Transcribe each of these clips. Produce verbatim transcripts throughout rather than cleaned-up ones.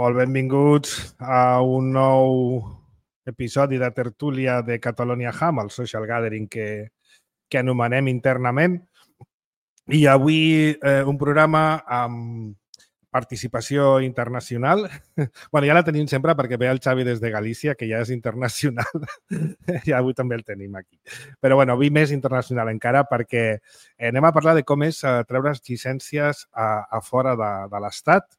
Molt benvinguts a un nou episodi de tertúlia de Catalonia Ham, el social gathering que, que anomenem internament. I avui eh, un programa amb participació internacional. Bueno, ja la tenim sempre perquè ve el Xavi des de Galícia, que ja és internacional. I avui també el tenim aquí. Però bueno, avui més internacional encara perquè anem a parlar de com és treure llicències a, a fora de, de l'Estat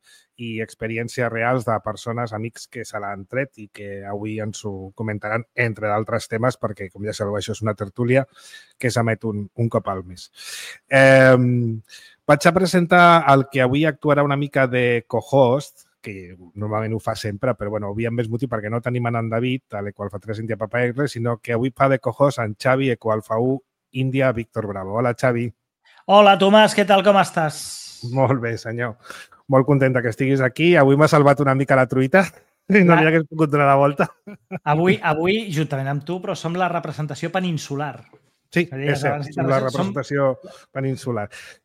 i experiències reals de persones, amics que se l'han tret i que avui ens ho comentaran, entre d'altres temes, perquè, com ja sabeu, això és una tertúlia que s'emet un, un cop al mes. Eh, vaig a presentar el que avui actuarà una mica de co-host, que normalment ho fa sempre, però bueno, avui amb més motiu perquè no tenim en David, a l'Equal fa tres India Papa R, sinó que avui fa de co-host en Xavi, Equal fa u India Víctor Bravo. Hola, Xavi. Hola, Tomàs, què tal, com estàs? Molt bé, senyor. Molt contenta que estiguis aquí. Avui m'ha salvat una mica la truita i no n'hi hagués pogut donar la volta. Avui, avui, juntament amb tu, però som la representació peninsular. Sí, és cert, som la representació som... peninsular.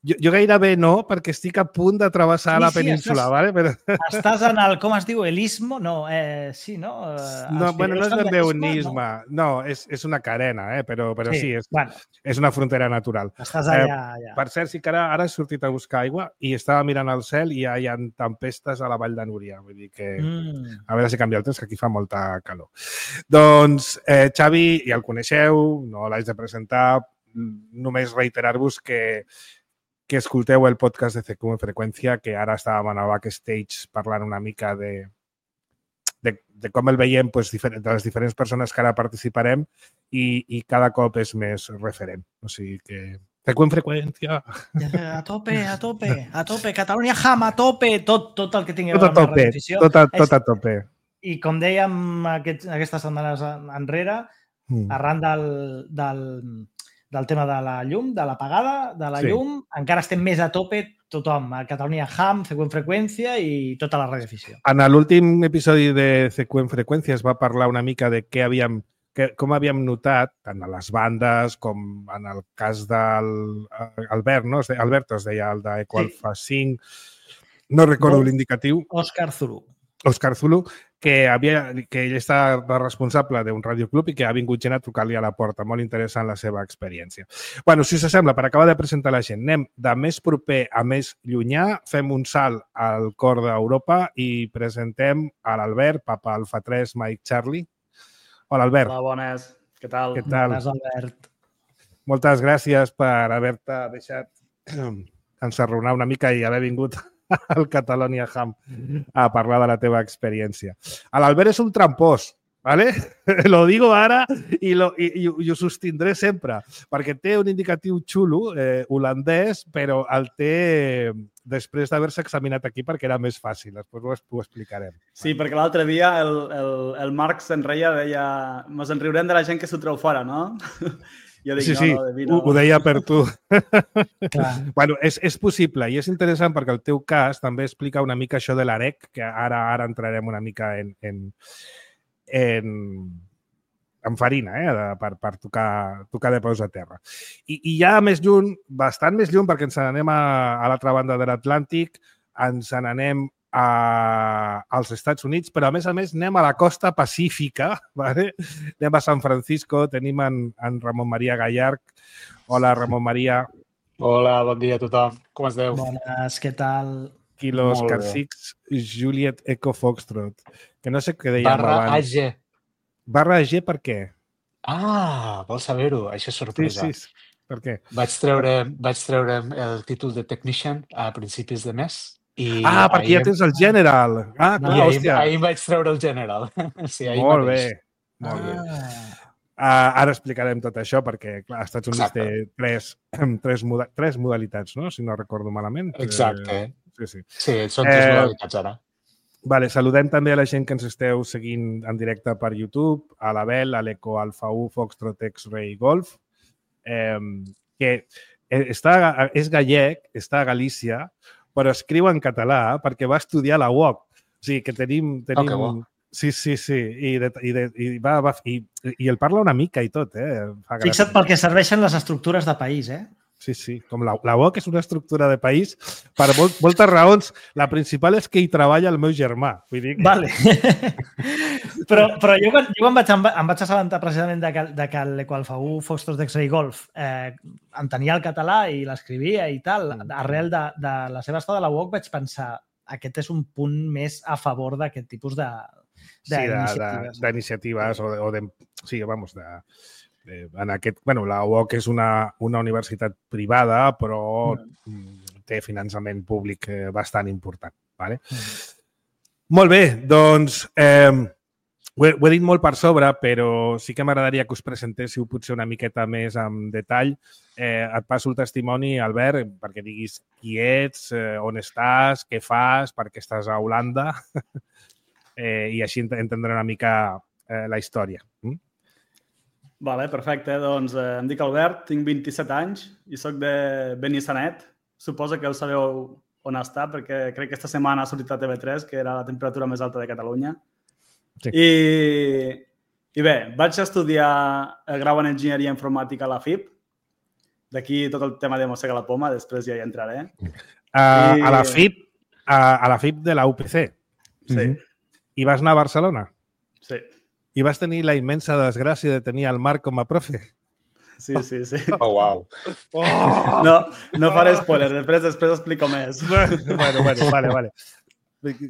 Jo, jo gairebé no, perquè estic a punt de travessar sí, la península, sí, ¿vale? Però... Estàs en el, com es diu, el istmo? No, eh, sí, no? No, bueno, no és ben bé un istme, no, no és, és una carena, eh? però, però sí, sí és, bueno, és una frontera natural. Estàs allà, eh, allà. Per cert, sí que ara, ara he sortit a buscar aigua i estava mirant al cel i ja hi ha tempestes a la Vall de Núria. Vull dir que, mm. a veure si canvia el temps, que aquí fa molta calor. Doncs, eh, Xavi, ja el coneixeu, no l'haig de presentar, només reiterar-vos que, que escolteu el podcast de C Q en Freqüència, que ara estàvem en el backstage parlant una mica de, de, de com el veiem pues, de les diferents persones que ara participarem i, i cada cop és més referent. O sigui que C Q en Freqüència... A tope, a tope, a tope. Catalonia Ham, a tope. Tot, tot el que tingueu tot a tope, a la tot, a, tot a tope. I com dèiem aquest, aquestes setmanes enrere, mm. arran del... del del tema de la llum, de l'apagada, de la sí. llum, encara estem més a tope tothom, a Catalonia Ham, C Q en Freqüència i tota la radioafició. En l'últim episodi de C Q en Freqüència es va parlar una mica de què havíem, que, com havíem notat, tant a les bandes com en el cas del Albert, no? Albert es deia, el d'Equal fa cinc, no recordo no. l'indicatiu. Òscar Zulu. Òscar Zulu, que, havia, que ell està responsable d'un radioclub i que ha vingut gent a trucar-li a la porta. Molt interessant la seva experiència. Bueno, si us sembla, per acabar de presentar la gent, anem de més proper a més llunyà, fem un salt al cor d'Europa i presentem a l'Albert, Papa Alfa tres, Mike Charlie. Hola, Albert. Hola, bones. Què tal? Què tal? Bones, Albert. Moltes gràcies per haver-te deixat ensarronar una mica i haver vingut al Catalonia Ham a parlar de la teva experiència. L'Albert és un trampós, ¿vale? Lo digo ara i, lo, i, i ho sostindré sempre, perquè té un indicatiu xulo, eh, holandès, però el té després d'haver-se examinat aquí perquè era més fàcil. Després ho, ho explicarem. Sí, perquè l'altre dia el, el, el Marc se'n reia, deia, mos en riurem de la gent que s'ho treu fora, no? Jo dic, sí, no, sí, no, de mi no. Ho, ho deia per tu. Bueno, és, és possible i és interessant perquè el teu cas també explica una mica això de l'Arec, que ara ara entrarem una mica en, en, en, en farina, eh, de, per, per tocar, tocar de peus a terra. I, I ja més lluny, bastant més lluny, perquè ens n'anem a, a l'altra banda de l'Atlàntic, ens n'anem A, als Estats Units, però a més a més anem a la costa pacífica, ¿vale? Anem a San Francisco, tenim en, en Ramon Maria Gallard. Hola, Ramon Maria. Hola, bon dia a tothom. Com esteu? Bones, què tal? Kilo Oscar Six, Juliet Eco Foxtrot. Que no sé què dèiem Barra abans. A G. Barra A G per què? Ah, vols saber-ho? Això és sorpresa. Sí, sí. Per què? Vaig treure, vaig treure el títol de Technician a principis de mes. I ah, perquè ja tens el General. Ah, clar, ahir, hòstia. Ahir vaig treure el General. Sí, ahir Molt mateix. bé, molt ah. bé. Uh, ara explicarem tot això perquè, clar, als Estats Units Exacte. té tres, tres, moda tres modalitats, no? Si no recordo malament. Exacte. Eh, sí, sí. Sí, són tres eh, modalitats ara. Vale, saludem també a la gent que ens esteu seguint en directe per YouTube, a l'Abel, a l'Eco Alfa u, Foxtrot X-Ray Golf, eh, que està, és gallec, està a Galícia, però escriu en català perquè va estudiar a la U O C. O sigui, que tenim... tenim... Oh, sí, sí, sí. I, de, i, de, i, va, va, i, i el parla una mica i tot, eh? Fixa't pel que serveixen les estructures de país, eh? Sí, sí. Com la, la U O C és una estructura de país per molt, moltes raons. La principal és que hi treballa el meu germà. Vull dir que... Vale. però però jo, quan, jo quan vaig, em, em vaig assabentar precisament de que, de que l'Equalfaú Fostos d'X-Ray Golf eh, entenia el català i l'escrivia i tal, arrel de, de la seva estada a la U O C vaig pensar aquest és un punt més a favor d'aquest tipus de d'iniciatives. Sí, d'iniciatives o de, o de... Sí, vamos, de... En aquest, bueno, la U O C és una, una universitat privada, però mm. té finançament públic bastant important. Vale? Mm. Molt bé, doncs eh, ho, he, ho he dit molt per sobre, però sí que m'agradaria que us presentéssiu potser una miqueta més en detall. Eh, et passo el testimoni, Albert, perquè diguis qui ets, eh, on estàs, què fas, per què estàs a Holanda eh, i així entendré una mica eh, la història. Mm? Vale, perfecte. Doncs eh, em dic Albert, tinc vint-i-set anys i soc de Benissanet. Suposo que ho sabeu on està, perquè crec que aquesta setmana ha sortit a T V tres, que era la temperatura més alta de Catalunya. Sí. I, I bé, vaig estudiar el grau en Enginyeria Informàtica a la F I P. D'aquí tot el tema de mossega la poma, després ja hi entraré. Uh, I... A la F I P, a, a la F I P de la U P C. Sí. Mm-hmm. I vas anar a Barcelona? Sí. I vas tenir la immensa desgràcia de tenir el Marc com a profe. Sí, sí, sí. Oh, wow. Oh! No, no faré spoiler, després, després explico més. Bueno, bueno, vale, vale.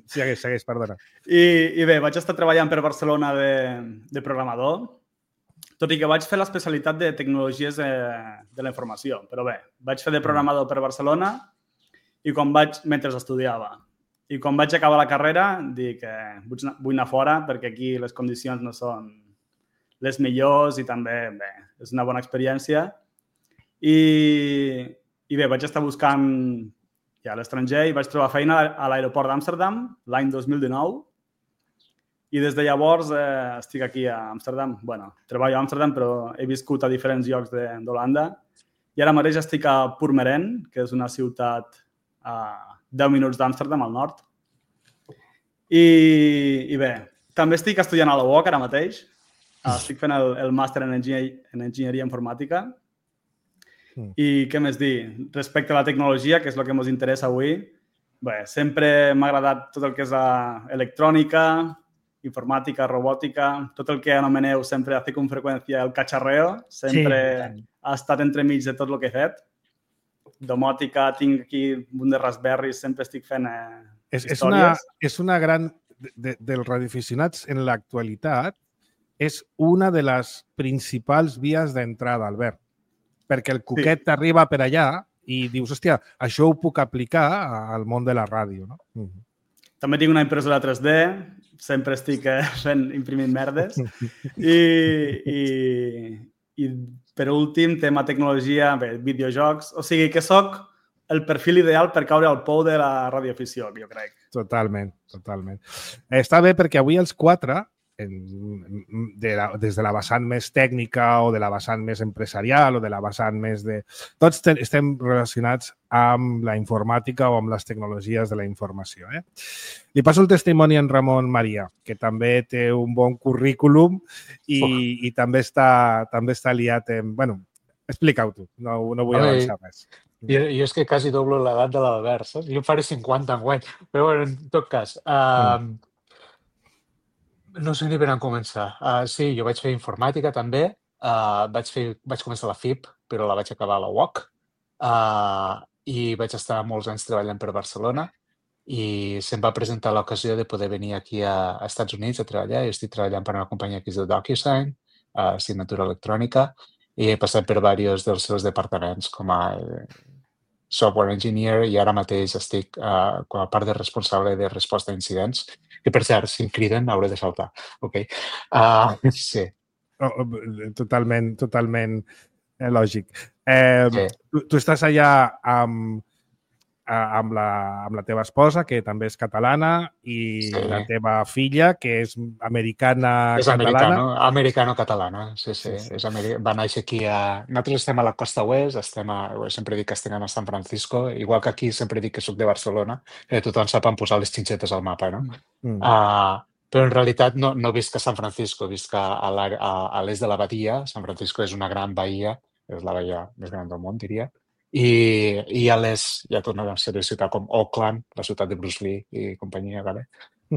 Segueix, segueix, perdona. I, I bé, vaig estar treballant per Barcelona de, de programador, tot i que vaig fer l'especialitat de tecnologies de, de la informació. Però bé, vaig fer de programador per Barcelona i quan vaig, mentre estudiava. I quan vaig acabar la carrera, dic que vull anar fora perquè aquí les condicions no són les millors i també, bé, és una bona experiència. I, i bé, vaig estar buscant ja a l'estranger i vaig trobar feina a l'aeroport d'Amsterdam l'any dos mil dinou. I des de llavors eh, estic aquí a Amsterdam. Bueno, treballo a Amsterdam, però he viscut a diferents llocs d'Holanda. I ara mateix estic a Purmerend, que és una ciutat a deu minuts d'Amsterdam, al nord. I, I bé, també estic estudiant a la U O C ara mateix. Estic fent el, el màster en, enginyer, en enginyeria informàtica. Mm. I què més dir? Respecte a la tecnologia, que és el que ens interessa avui, bé, sempre m'ha agradat tot el que és electrònica, informàtica, robòtica, tot el que anomeneu sempre hace con freqüència el cacharreo, sempre sí. Ha estat entremig de tot el que he fet. Domòtica, tinc aquí un de Raspberry, sempre estic fent eh, és, històries. És una, és una gran... De, dels radioaficionats en l'actualitat és una de les principals vies d'entrada, Albert. Perquè el cuquet sí. T'arriba per allà i dius, hòstia, això ho puc aplicar al món de la ràdio, no? Mm. També tinc una impressora tres D, sempre estic eh, fent imprimint merdes. I, i, i per últim, tema tecnologia, bé, videojocs. O sigui que sóc el perfil ideal per caure al pou de la radioafició, jo crec. Totalment, totalment. Està bé perquè avui els quatre, en, de la, des de la vessant més tècnica o de la vessant més empresarial o de la vessant més de... Tots ten, estem relacionats amb la informàtica o amb les tecnologies de la informació. Eh? Li passo el testimoni a en Ramon Maria, que també té un bon currículum i, oh. i també, està, també està liat en... Bueno, explica-ho tu, no, no vull avançar més. Jo, jo és que quasi doblo l'edat de l'Albert, saps? Jo faré cinquanta enguany. Però, bueno, en tot cas, uh, mm. no sé ni per on començar. Uh, sí, jo vaig fer informàtica també. Uh, vaig, fer, vaig començar a la F I P, però la vaig acabar a la U O C. Uh, I vaig estar molts anys treballant per Barcelona i se'm va presentar l'ocasió de poder venir aquí a, a Estats Units a treballar. Jo estic treballant per una companyia que es diu DocuSign, uh, signatura electrònica, i he passat per diversos dels seus departaments com a software engineer i ara mateix estic uh, com a part de responsable de resposta a incidents, que per cert, si em criden hauré de saltar. Okay. Uh, sí. Oh, totalment, totalment eh, lògic. Eh, sí. tu, tu estàs allà amb, amb, la, amb la teva esposa, que també és catalana, i sí. La teva filla, que és americana és catalana. És americano-catalana, sí, sí. sí, sí. És americ... Va néixer aquí a... Nosaltres estem a la costa oest, estem a... sempre dic que estem a San Francisco, igual que aquí sempre dic que soc de Barcelona, que tothom sap en posar les xinxetes al mapa, no? Mm. Uh, però en realitat no, no visc a San Francisco, visc a, a, a l'est de la Badia. San Francisco és una gran bahia, és la bahia més gran del món, diria. I, i hi ha, les, hi ha tota una sèrie de ciutats com Auckland, la ciutat de Bruce Lee i companyia, vale?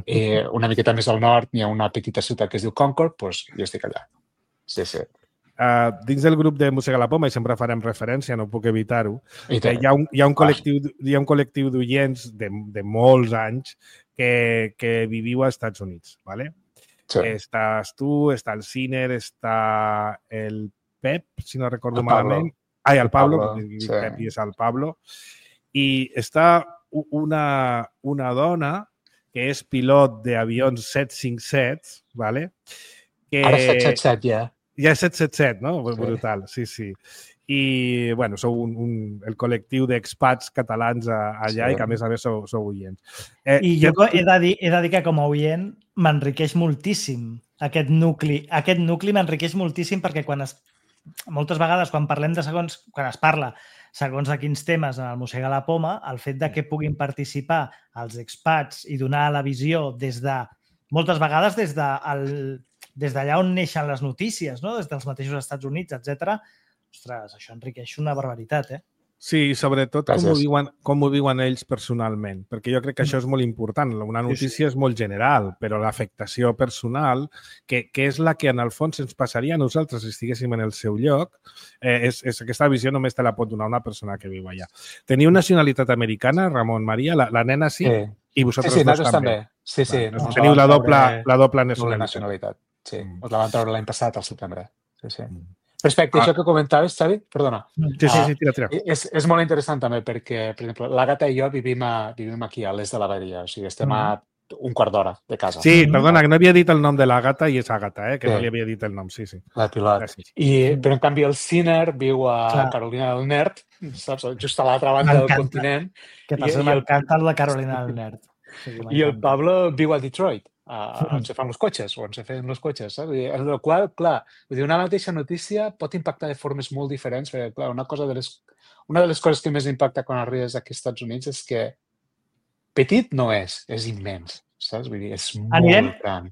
I una miqueta més al nord hi ha una petita ciutat que es diu Concord, doncs jo estic allà. Sí, sí. Uh, dins del grup de Música a la Poma, i sempre farem referència, no puc evitar-ho, I eh, hi ha un, hi ha un col·lectiu, hi ha un col·lectiu d'oients de, de molts anys que, que viviu als Estats Units, ¿vale? Sí. Estàs tu, està el Ciner, està el Pep, si no recordo El Pablo. malament. Ai, el Pablo, Pablo, dic sí. Pep i és el Pablo. I està u- una, una dona que és pilot d'avions set cinquanta-set, ¿vale? Que... Ara set set set ja. Ja és set set set, no? Sí. Brutal, sí, sí. I, bueno, sou un, un, el col·lectiu d'expats catalans a, allà Sí. i que, a més a més, sou, sou oients. Eh, I jo he de, dir, he de dir que com a oient m'enriqueix moltíssim aquest nucli. Aquest nucli m'enriqueix moltíssim perquè quan es, moltes vegades quan parlem de segons, quan es parla segons de quins temes en el Mossega la Poma, el fet de que puguin participar els expats i donar la visió des de, moltes vegades des de el, des d'allà on neixen les notícies, no? Des dels mateixos Estats Units, etcètera. Ostres, això enriqueix una barbaritat, eh? Sí, sobretot com ho, Gràcies. viuen, com ho viuen ells personalment, perquè jo crec que això és molt important. Una notícia Sí, sí. és molt general, però l'afectació personal, que, que és la que en el fons ens passaria a nosaltres si estiguéssim en el seu lloc, eh, és, és aquesta visió només te la pot donar una persona que viu allà. Teniu nacionalitat americana, Ramon Maria? La, la nena sí? Sí. I Sí, vosaltres sí, dos nosaltres també? també. Sí, sí. Bueno, nos teniu la la van doble, treure la doble doble nacionalitat. nacionalitat. Sí, Mm. ens la van treure l'any passat, al setembre. Sí, sí. Mm. Respecte a Ah. això que comentaves, Xavi, perdona. Sí, sí, Ah, sí, tira, tira. És, és molt interessant també perquè, per exemple, l'Àgata i jo vivim, a, vivim aquí a l'est de la Badia, o sigui, estem a un quart d'hora de casa. Sí, Mhm. perdona, que no havia dit el nom de l'Àgata i és Àgata, eh? que Sí. no li havia dit el nom, sí, sí. La pilot. Gràcies. I, però, en canvi, el Ciner viu a Clar. Carolina del Nord, saps? Just a l'altra banda del M'encanta. continent. Que I- passa, i el- m'encanta el de Carolina del Nord. Sí, I el m'encanta. Pablo viu a Detroit, a, on se fan els cotxes, o on se feien els cotxes, saps? I en el qual, clar, vull dir, una mateixa notícia pot impactar de formes molt diferents, perquè, clar, una, cosa de les, una de les coses que més impacta quan arribes aquí als Estats Units és que petit no és, és immens, saps? Vull dir, és molt Anirem- gran.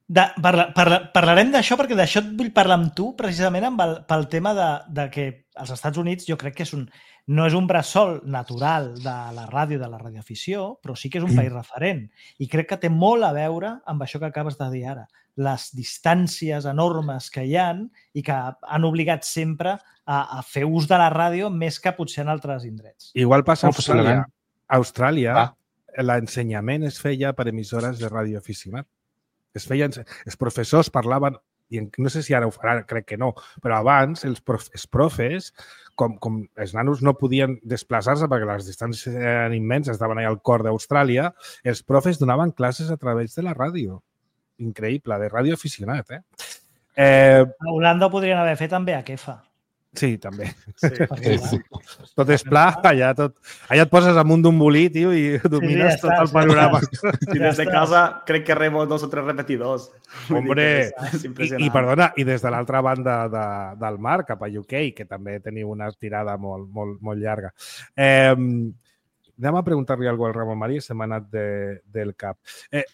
De, parla, parla, parlarem d'això perquè d'això et vull parlar amb tu precisament amb el, pel tema de, de que als Estats Units jo crec que és un, no és un bressol natural de la ràdio, de la radioafició, però sí que és un país referent. I crec que té molt a veure amb això que acabes de dir ara. Les distàncies enormes que hi han i que han obligat sempre a, a fer ús de la ràdio més que potser en altres indrets. Igual passa a No, Austràlia. possiblement. A Austràlia, Va. l'ensenyament es feia per emissores de radioaficionat. Es feien, els professors parlaven, i en- no sé si ara ho faran, crec que no, però abans els, prof, els profes, com, com els nanos no podien desplaçar-se perquè les distàncies eren immenses, estaven allà al cor d'Austràlia, els profes donaven classes a través de la ràdio. Increïble, de radioaficionat, eh? eh A Holanda ho podrien haver fet amb B H F. sí, també. Sí. Perquè, Sí, clar, Tot és pla, allà, tot, allà et poses amunt d'un bolí, tio, i domines ja tot està, el ja panorama. I Ja des de està. casa crec que rebo dos o tres repetidors. Vull dir Hombre, que és, és I, impressionant. I, perdona, i des de l'altra banda de, del mar, cap a U K, que també teniu una tirada molt, molt, molt llarga. Eh, anem a preguntar-li alguna cosa al Ramon Maria, se m'ha anat de, del cap. Eh,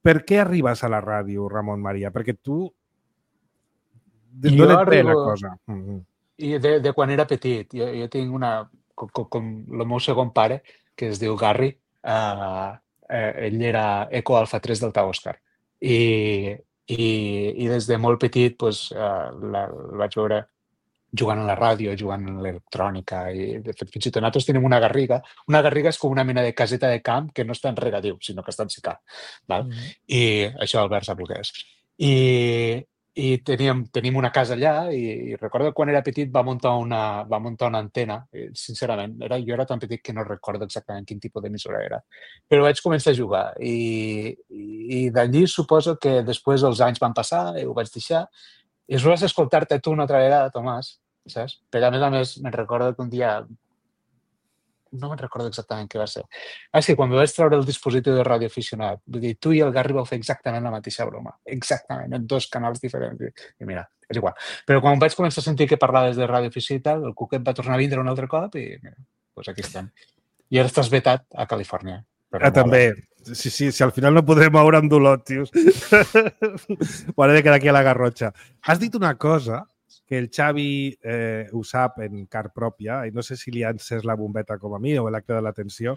per què arribes a la ràdio, Ramon Maria? Perquè tu... Jo D'on et ve la arribo- cosa? Mm -hmm. I de, de quan era petit, jo, jo tinc una... Com, com, com el meu segon pare, que es diu Garry, uh, eh, ell era Eco Alfa tres del Tau Òscar. I, i, I des de molt petit pues, uh, la, el vaig veure jugant a la ràdio, jugant a l'electrònica i de fet fins i tot nosaltres tenim una garriga. Una garriga és com una mena de caseta de camp que no està en regadiu, sinó que està en secà. Val? Mhm. I això Albert sap el que és. I, i teníem, tenim una casa allà i, i recordo que quan era petit va muntar una, va muntar una antena. I, sincerament, era, jo era tan petit que no recordo exactament quin tipus d'emissora era. Però vaig començar a jugar i, i, i d'allí suposo que després els anys van passar i ho vaig deixar. I després escoltar-te tu una altra vegada, Tomàs, saps? Però a més a més me'n recordo que un dia no me'n recordo exactament què va ser. Ah, sí, quan me vaig treure el dispositiu de radioaficionat, vull dir, tu i el Garry vau fer exactament la mateixa broma, exactament, en dos canals diferents. I, i mira, és igual. Però quan vaig començar a sentir que parlaves de radioafició i tal, el cuquet va tornar a vindre un altre cop i mira, doncs aquí estem. I ara estàs vetat a Califòrnia. Ah, també. Sí, sí, si al final no podrem moure amb dolor, tios. M'hauré de quedar aquí a la Garrotxa. Has dit una cosa que el Xavi eh, ho sap en car pròpia, i no sé si li ha encès la bombeta com a mi o l'ha cridat l'atenció,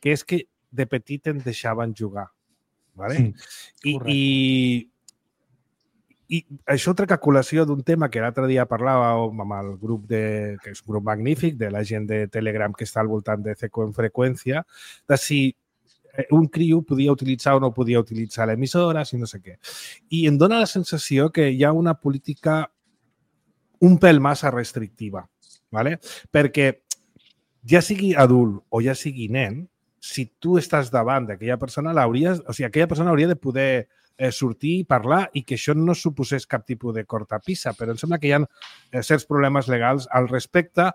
que és que de petit em deixaven jugar. ¿vale? Sí, I, i, I això trec a col·lació d'un tema que l'altre dia parlàvem amb el grup, de, que és un grup magnífic, de la gent de Telegram que està al voltant de C Q en freqüència, de si un criu podia utilitzar o no podia utilitzar l'emissora, si no sé què. I em dóna la sensació que hi ha una política un pèl massa restrictiva, ¿vale? Perquè ja sigui adult o ja sigui nen, si tu estàs davant d'aquella persona, l'hauries, o sigui, aquella persona hauria de poder eh, sortir i parlar i que això no suposés cap tipus de cortapissa, però em sembla que hi ha eh, certs problemes legals al respecte,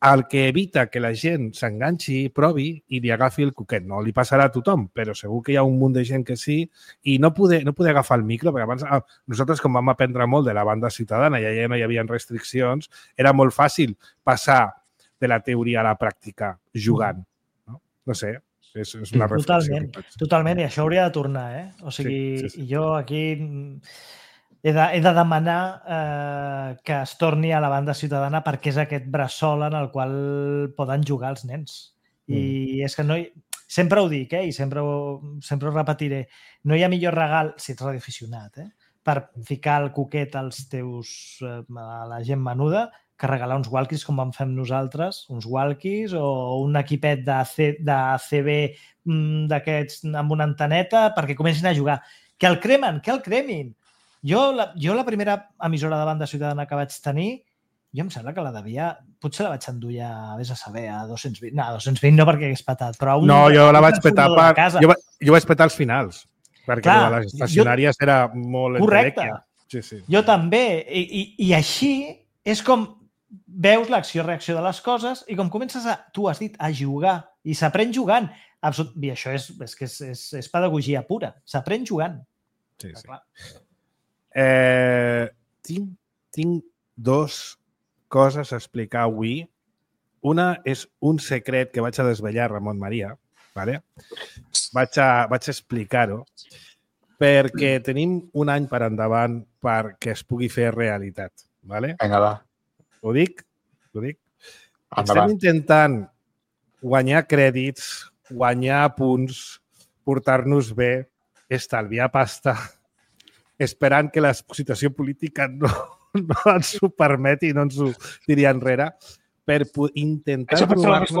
el que evita que la gent s'enganxi, provi i li agafi el cuquet. No li passarà a tothom, però segur que hi ha un munt de gent que sí, i no poder, no poder agafar el micro, perquè abans ah, nosaltres, com vam aprendre molt de la banda ciutadana, ja, ja no hi havia restriccions, era molt fàcil passar de la teoria a la pràctica jugant. No, no sé, és, és una reflexió. Totalment, totalment, i això hauria de tornar, eh? O sigui, sí, sí, sí. Jo aquí he de, he de demanar eh, que es torni a la banda ciutadana perquè és aquest bressol en el qual poden jugar els nens. I mm. és que no hi... Sempre ho dic, eh? I sempre ho, sempre ho repetiré. No hi ha millor regal, si ets radioaficionat, eh? Per ficar el coquet als teus, eh, a la gent menuda, que regalar uns walkies com vam fer nosaltres, uns walkies o un equipet de, C, de C B d'aquests amb una anteneta perquè comencin a jugar. Que el cremen, que el cremin. Jo la, jo la primera emissora de banda ciutadana que vaig tenir, jo em sembla que la devia... Potser la vaig endur ja, vés a saber, a dos-cents vint. No, a dos-cents vint no perquè hagués petat, però a un... No, jo la vaig petar per... Jo, jo vaig petar als finals, perquè clar, les estacionàries jo... era molt... Correcte. Sí, sí. Jo també. I, i, I així és com veus l'acció-reacció de les coses i com comences a, tu has dit, a jugar. I s'aprèn jugant. Absolut... I això és, és que és, és, és pedagogia pura. S'aprèn jugant. Sí, sí. Clar. Eh, tinc, tinc dos coses a explicar avui. Una és un secret que vaig a desvetllar, Ramon Maria. ¿vale? Vaig a, vaig a explicar-ho perquè tenim un any per endavant perquè es pugui fer realitat. ¿vale? Vinga, va. Ho dic? Ho dic? Endavant. Estem intentant guanyar crèdits, guanyar punts, portar-nos bé, estalviar pasta, esperant que la situació política no, no ens ho permeti i no ens ho tiri enrere, per intentar trobar-nos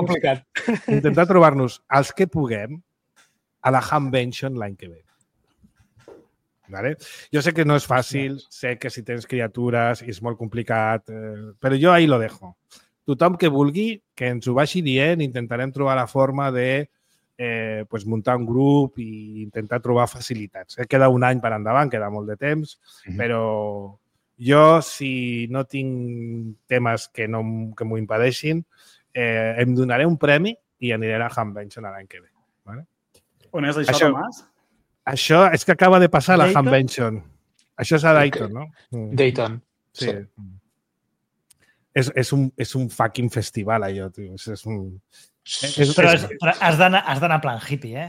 intentar trobar-nos els que puguem a la Hamvention l'any que ve. ¿Vale? Jo sé que no és fàcil, sé que si tens criatures és molt complicat, eh, però jo ahí lo dejo. Tothom que vulgui, que ens ho vagi dient, intentarem trobar la forma de Eh, pues muntar un grup i intentar trobar facilitats. Eh, queda un any per endavant, queda molt de temps, mm-hmm. però jo, si no tinc temes que, no, que m'ho impedeixin, eh, em donaré un premi i aniré a la Hamvention l'any que ve. ¿vale? On és això, això, Tomàs? Això és que acaba de passar a la Hamvention. Això és a Dayton, no? Dayton. Sí. sí. És, és, un, és un fucking festival, allò, tio. És, és un... És, però, és, però has d'anar plan hippie, eh?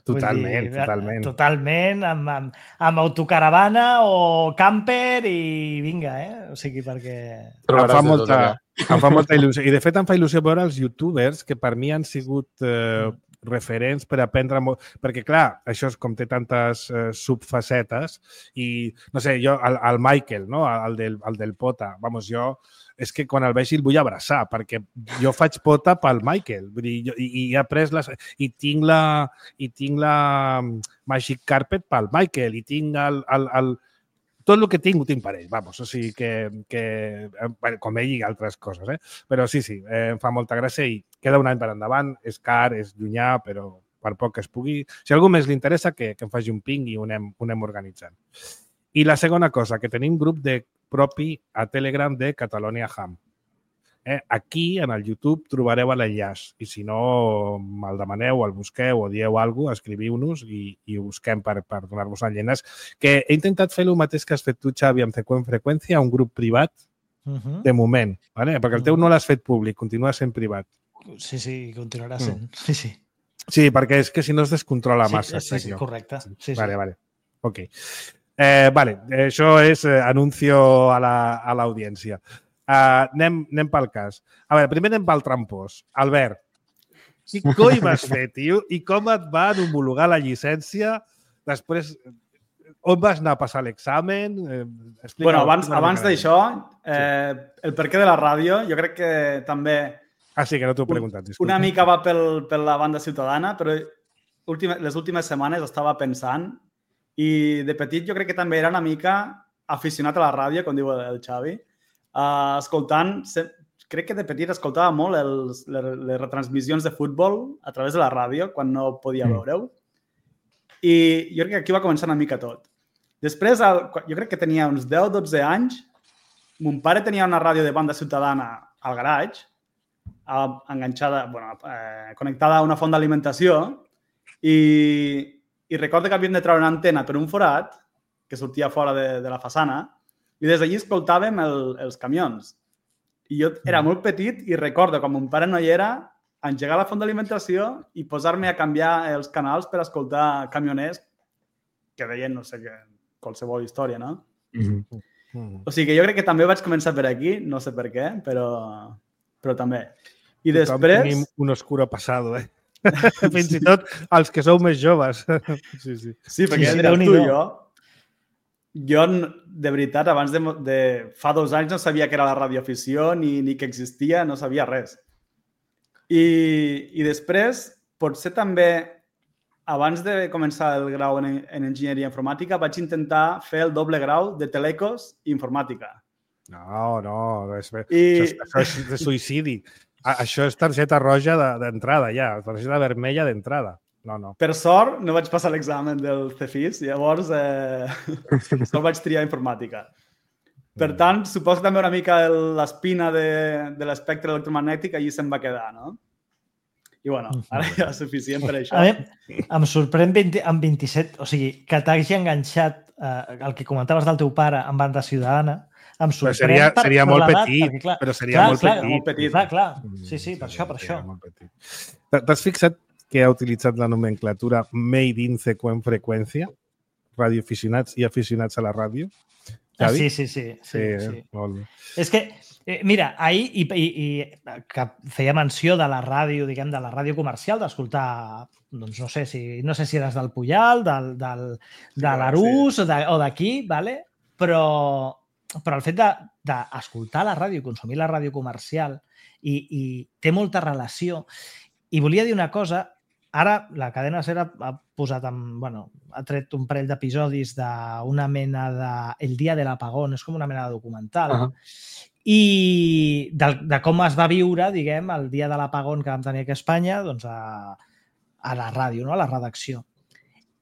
Totalment, dir, totalment. Totalment, amb, amb, amb autocaravana o camper i vinga, eh? O sigui, perquè... Em fa, molta, em fa molta il·lusió. I, de fet, em fa il·lusió veure els youtubers que per mi han sigut eh, referents per aprendre molt... Perquè, clar, això és com té tantes eh, subfacetes i, no sé, jo, el, el Michael, no? el, del, el del Pota, vamos, jo... és que quan el vegi el vull abraçar, perquè jo faig pota pel Michael. Vull dir, jo, i, i he après les... I tinc la, i tinc la Magic Carpet pel Michael, i tinc el, el, el... Tot el que tinc ho tinc per ell, vamos. O sigui que, que com ell i altres coses, eh? Però sí, sí, eh, em fa molta gràcia i queda un any per endavant, és car, és llunyà, però per poc que es pugui... Si a algú més li interessa, que, que em faci un ping i ho anem, ho anem organitzant. I la segona cosa, que tenim grup de propi a Telegram de Catalonia Ham. Eh? Aquí, en el YouTube, trobareu l'enllaç. I si no, me'l demaneu, el busqueu o dieu alguna cosa, escriviu-nos i, i ho busquem per, per donar-vos l'enllaç. Que he intentat fer el mateix que has fet tu, Xavi, amb C Q en freqüència, un grup privat, uh-huh. de moment. ¿vale? Perquè el teu no l'has fet públic, continua sent privat. Sí, sí, continuarà sent. Mm. Sí, sí. Sí, perquè és que si no es descontrola massa. Sí, sí, sí correcte. Sí, sí. Vale, vale. Ok. Eh, vale, això és eh, anuncio a l'audiència. La, uh, anem, anem pel cas. A veure, primer anem pel trampós. Albert, quin coi vas fer, tio? I com et van homologar la llicència? Després, on vas anar a passar l'examen? Eh, bueno, abans, abans d'això, eh, el perquè de la ràdio, jo crec que també... Ah, sí, que no t'ho he preguntat, disculpa. Una mica va pel, per la banda ciutadana, però última, les últimes setmanes estava pensant i de petit jo crec que també era una mica aficionat a la ràdio, com diu el Xavi, uh, escoltant, crec que de petit escoltava molt els, les, les retransmissions de futbol a través de la ràdio, quan no podia veure-ho. I jo crec que aquí va començar una mica tot. Després, jo crec que tenia uns deu o dotze anys, mon pare tenia una ràdio de banda ciutadana al garatge, enganxada, bueno, eh, connectada a una font d'alimentació i, i recordo que havíem de treure una antena per un forat que sortia fora de, de la façana i des d'allí escoltàvem el, els camions. I jo era molt petit i recordo, quan mon pare no hi era, engegar la font d'alimentació i posar-me a canviar els canals per escoltar camioners que deien, no sé què, qualsevol història, no? Mm-hmm. O sigui que jo crec que també vaig començar per aquí, no sé per què, però, però també. I després... Tenim un oscuro passado, eh? Fins i tot els que sou més joves. Sí, sí. Sí, perquè sí, sí, tu i jo, jo, de veritat, abans de, de... Fa dos anys no sabia que era la radioafició ni, ni que existia, no sabia res. I, i després, potser també, abans de començar el grau en, en enginyeria informàtica, vaig intentar fer el doble grau de telecos i informàtica. No, no, és, I... això, això és de suïcidi. Això és targeta roja d'entrada, ja. Targeta vermella d'entrada. No, no. Per sort, no vaig passar l'examen del C F I S, llavors eh, sol vaig triar informàtica. Per tant, suposo també una mica l'espina de, de l'espectre electromagnètic allí se'n va quedar, no? I, bueno, ara ja és suficient per això. A mi em sorprèn vint, amb vint-i-set, o sigui, que t'hagi enganxat eh, el que comentaves del teu pare en banda ciutadana, em sorprèn seria, per, seria per molt l'edat, petit, perquè, clar, però seria clar, molt, clar, petit. molt petit. Clar, clar. Sí, sí, per això, per això. T'has fixat que ha utilitzat la nomenclatura made in seqüent freqüència? Radioaficionats i aficionats a la ràdio? Ah, sí, sí, sí. sí, sí, sí. Molt bé. És que, eh, mira, ahir i, i, i que feia menció de la ràdio, diguem, de la ràdio comercial, d'escoltar, doncs no sé si no sé si eres del Puyal, del, del, de l'Arús sí. o d'aquí, vale? però però el fet d'escoltar la ràdio i consumir la ràdio comercial i, i té molta relació. I volia dir una cosa, ara la cadena SER ha posat, en, bueno, ha tret un parell d'episodis d'una mena de El dia de l'apagón, és com una mena de documental, uh -huh. i de, de com es va viure, diguem, el dia de l'apagón que vam tenir aquí a Espanya, doncs a, a la ràdio, no? A la redacció.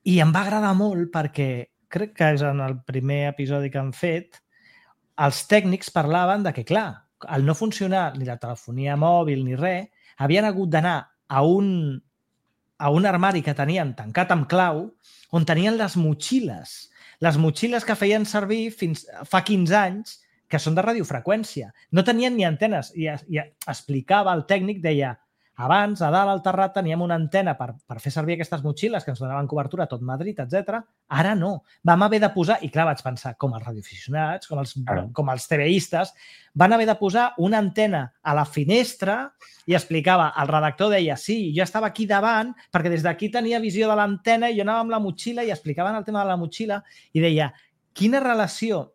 I em va agradar molt perquè crec que és en el primer episodi que han fet, els tècnics parlaven de que, clar, al no funcionar ni la telefonia mòbil ni res, havien hagut d'anar a un, a un armari que tenien tancat amb clau on tenien les motxilles. Les motxilles que feien servir fins fa quinze anys, que són de radiofreqüència. No tenien ni antenes. I, i explicava el tècnic, deia, abans, a dalt al terrat, teníem una antena per, per fer servir aquestes motxilles que ens donaven cobertura a tot Madrid, etcètera. Ara no. Vam haver de posar, i clar, vaig pensar, com els radioaficionats, com els, ah. com els TVistes, van haver de posar una antena a la finestra i explicava, el redactor deia, sí, jo estava aquí davant perquè des d'aquí tenia visió de l'antena i jo anava amb la motxilla i explicaven el tema de la motxilla i deia, quina relació,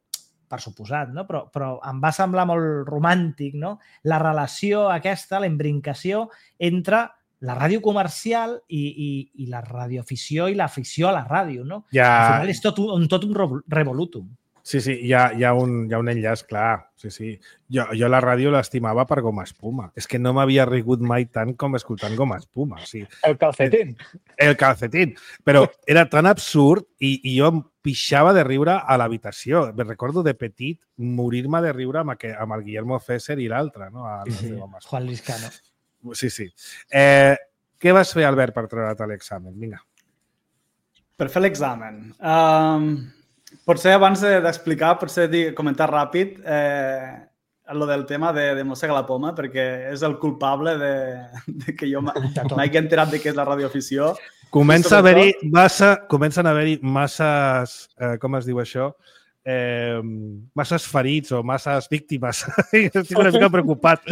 per suposat, no? però, però em va semblar molt romàntic, no? La relació aquesta, la imbrincació entre la ràdio comercial i, i, i la radioafició i l'afició a la ràdio, no? Ja... Al final és tot un, tot un revolutum. Sí, sí, hi ha, hi ha, un, hi ha un enllaç clar. Sí, sí. Jo, jo la ràdio l'estimava per Goma Espuma. És que no m'havia rigut mai tant com escoltant Goma Espuma. O sigui, el calcetín. El calcetín. Però era tan absurd i, i jo em pixava de riure a l'habitació. Me recordo de petit morir-me de riure amb, aqu amb el Guillermo Fesser i l'altre, no? El, sí, Juan Liscano. Sí, sí. Eh, què vas fer, Albert, per treure't l'examen? Vinga. Per fer l'examen... Um... Potser abans d'explicar, potser dir, comentar ràpid eh, el del tema de, de Mossega la Poma, perquè és el culpable de, de que jo m'hagi enterat de què és la radioafició comença a haver-hi massa, comencen a haver-hi masses, eh, com es diu això, eh, masses ferits o masses víctimes. Estic una mica preocupat.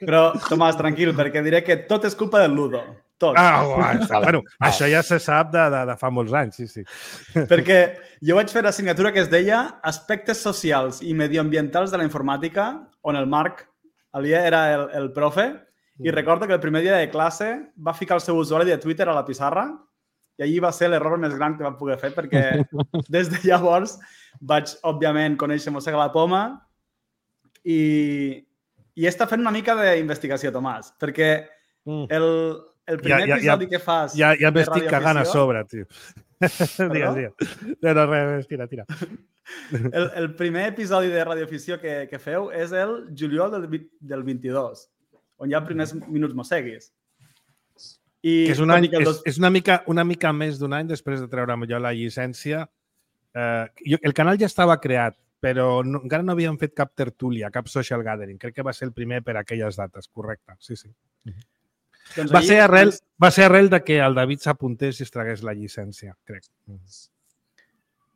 Però, Tomàs, tranquil, perquè diré que tot és culpa del Ludo. Tot. Ah, oh, bueno, això ja se sap de, de, de fa molts anys, sí, sí. Perquè jo vaig fer l'assignatura que es deia Aspectes socials i medioambientals de la informàtica, on el Marc Alier era el, el profe, i recordo que el primer dia de classe va ficar el seu usuari de Twitter a la pissarra i allí va ser l'error més gran que va poder fer perquè des de llavors vaig, òbviament, conèixer Mossega la Poma i, i està fent una mica d'investigació, Tomàs, perquè el, el primer ja, ja, episodi ja, que fas... Ja, ja m'estic cagant a sobre, tio. Digues, digues. No, no, res, tira, tira. El, el primer episodi de radioafició que, que feu és el juliol del, del vint-i-dos, on hi ha primers minuts mosseguis. I que és, un any, és, dos... és una, mica, una mica més d'un any després de treure'm jo la llicència. Eh, jo, el canal ja estava creat, però no, encara no havíem fet cap tertúlia, cap social gathering. Crec que va ser el primer per aquelles dates, correcte. Sí, sí. Doncs va, ser arrel, va ser arrel de que el David s'apuntés i es tragués la llicència, crec.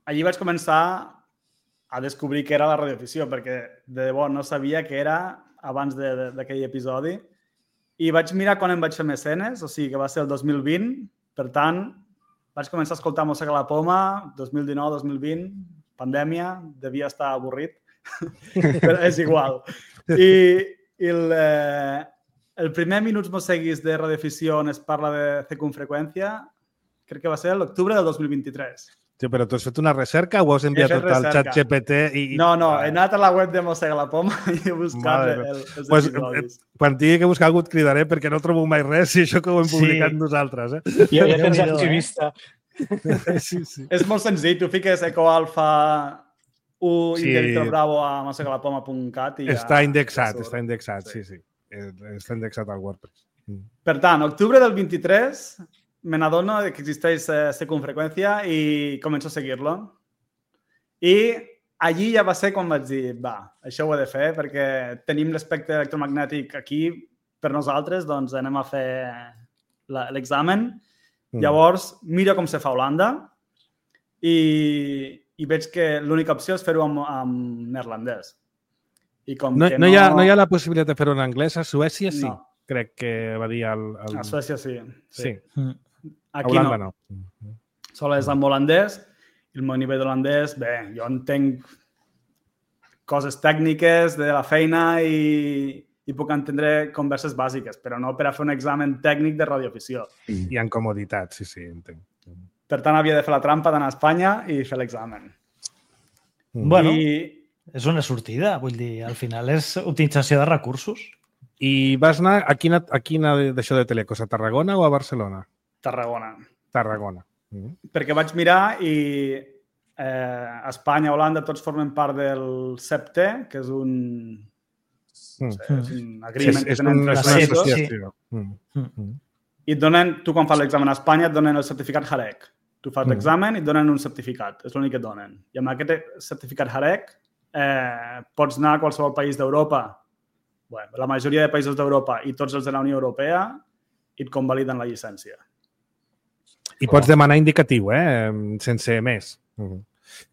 Allí vaig començar a descobrir què era la radioafició, perquè de debò no sabia què era abans d'aquell episodi. I vaig mirar quan em vaig fer mecenes, o sigui que va ser el dos mil vint. Per tant, vaig començar a escoltar Mossega la Poma, dos mil dinou dos mil vint, pandèmia, devia estar avorrit, però és igual. I, i el, eh, el primer Minuts Mosseguis de radioafició on es parla de circunfreqüència, crec que va ser l'octubre del dos mil vint-i-tres. Sí, però tu has fet una recerca o has enviat tot al xat G P T? I... No, no, he anat a la web de Mossega la Poma i he buscat el, els pues, episodis. Quan tingui que buscar algú et cridaré perquè no trobo mai res i això que ho hem publicat sí. nosaltres. Eh? Ja, ja tens arxivista. Sí, sí. És molt senzill, tu fiques ecoalfa u sí. i Director Bravo a mossega la poma punt cat i ja... Està indexat, està indexat, sí, sí. sí. Està indexat al WordPress. Per tant, octubre del vint-i-tres... me n'adono que existeix eh, circunfreqüència i començo a seguir-lo. I allí ja va ser quan vaig dir, va, això ho he de fer perquè tenim l'espectre electromagnètic aquí per nosaltres, doncs anem a fer l'examen. Mm. Llavors, miro com se fa a Holanda i, i veig que l'única opció és fer-ho amb, amb neerlandès. I com no, que no, no... Hi ha, no hi ha la possibilitat de fer-ho en anglès? A Suècia sí, no. Crec que va dir el... el... A Suècia sí. Sí. sí. Aquí a Holanda no. no. Sol és amb holandès. El meu nivell d'holandès, bé, jo entenc coses tècniques de la feina i, i puc entendre converses bàsiques, però no per a fer un examen tècnic de radioafició. I en comoditat, sí, sí, entenc. Per tant, havia de fer la trampa d'anar a Espanya i fer l'examen. Bueno, I... és una sortida, vull dir, al final és utilització de recursos. I vas anar a quina, a quina d'això de Telecos, a Tarragona o a Barcelona? Tarragona. Tarragona. Mm-hmm. Perquè vaig mirar i eh, Espanya, Holanda, tots formen part del C E P T, que és un, mm. sé, és un agreement sí, és, que tenen una, tres és una països. associació. Sí. Mm. I et donen, tu quan fas l'examen a Espanya et donen el certificat Harec. Tu fas mm. l'examen i et donen un certificat. És l'únic que et donen. I amb aquest certificat Harec eh, pots anar a qualsevol país d'Europa, bueno, la majoria de països d'Europa i tots els de la Unió Europea i et convaliden la llicència. I pots demanar indicatiu, eh? Sense més. Mm.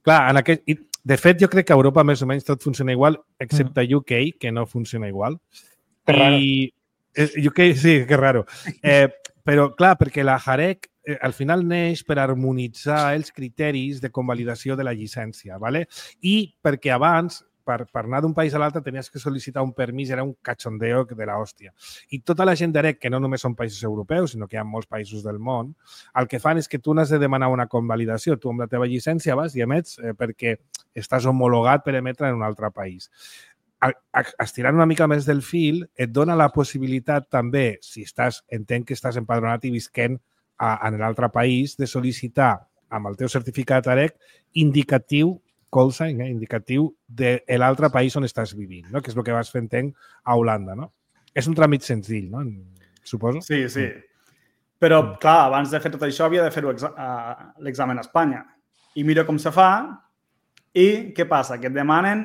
Clar, en aquest... de fet, jo crec que a Europa més o menys tot funciona igual, excepte mm. U K, que no funciona igual. Que raro. I... U K, sí, que raro. Eh, però, clar, perquè la Harec eh, al final neix per harmonitzar els criteris de convalidació de la llicència, ¿vale? I perquè abans, per, per anar d'un país a l'altre, tenies que sol·licitar un permís, era un cachondeo de l'hòstia. I tota la gent d'A R E C, que no només són països europeus, sinó que hi ha molts països del món, el que fan és que tu n'has de demanar una convalidació. Tu amb la teva llicència vas i emets eh, perquè estàs homologat per emetre en un altre país. Estirant una mica més del fil, et dona la possibilitat també, si estàs, entenc que estàs empadronat i visquent a, en l'altre país, de sol·licitar amb el teu certificat A R E C indicatiu call sign, eh, indicatiu de l'altre país on estàs vivint, no? Que és el que vas fer, entenc, a Holanda, no? És un tràmit senzill, no? Suposo. Sí, sí. Però, mm. clar, abans de fer tot això havia de fer l'examen a Espanya. I miro com se fa i què passa? Que et demanen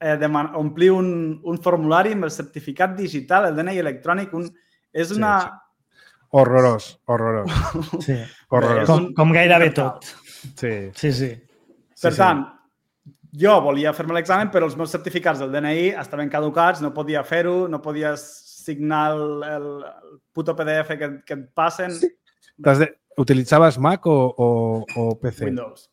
eh, deman omplir un, un formulari amb el certificat digital, el D N I electrònic. Un... És una... Sí, sí. Horrorós, horrorós. Sí. Horrorós. Com, com gairebé tot. Sí. Sí, sí. Per Sí, tant, jo volia fer-me l'examen, però els meus certificats del D N I estaven caducats, no podia fer-ho, no podia signar el, el, el puto P D F que, que et passen. Sí. De... Utilitzaves Mac o, o, o P C? Windows.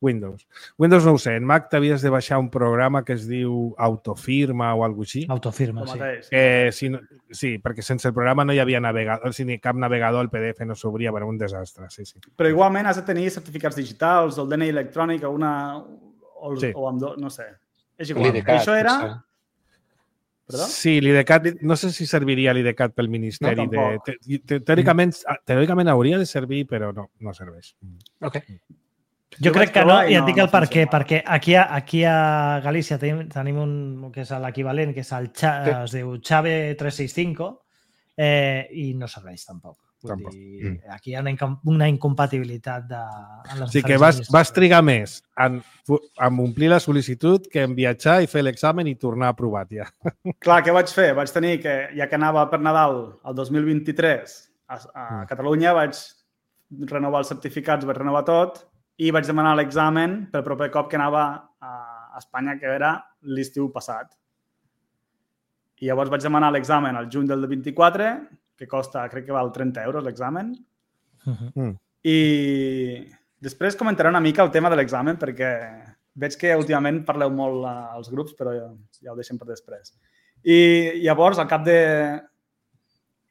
Windows. Windows no ho sé. En Mac t'havies de baixar un programa que es diu Autofirma o alguna cosa així. Autofirma, El sí. mateix. Eh, si no, sí, perquè sense el programa no hi havia navegador, si ni cap navegador, el P D F no s'obria, bueno, un desastre, sí, sí. Però igualment has de tenir certificats digitals, o el D N I electrònic, o una... O, el, Sí. o amb dos, no sé. És igual. L'IDCAT, Això era... potser. Perdó? Sí, l'IDCAT, no sé si serviria l'IDCAT pel Ministeri. No, de, tampoc. te, te, teòricament, teòricament hauria de servir, però no, no serveix. Ok. Jo Jo crec vaig que no, provar i i et no- dic el no per què, funciona. perquè aquí a, aquí a Galícia tenim, tenim un que és l'equivalent, que és el Xa, Sí. es diu Xave tres sis cinc, eh, i no serveix tampoc. Vull Tampoc. dir, Mm. aquí hi ha una, incom- una incompatibilitat de, en les O sigui que diferents vas, vas trigar més en, en omplir la sol·licitud que en viatjar i fer l'examen i tornar aprovat ja. Clar, què vaig fer? Vaig tenir que, ja que anava per Nadal el dos mil vint-i-tres a, a Mm. Catalunya, vaig renovar els certificats, vaig renovar tot i vaig demanar l'examen pel proper cop que anava a Espanya, que era l'estiu passat. I llavors vaig demanar l'examen al juny del vint-i-quatre, que costa, crec que val trenta euros l'examen. Uh-huh. Mm. I després comentaré una mica el tema de l'examen, perquè veig que últimament parleu molt als grups, però ja, ja ho deixem per després. I llavors, al cap de...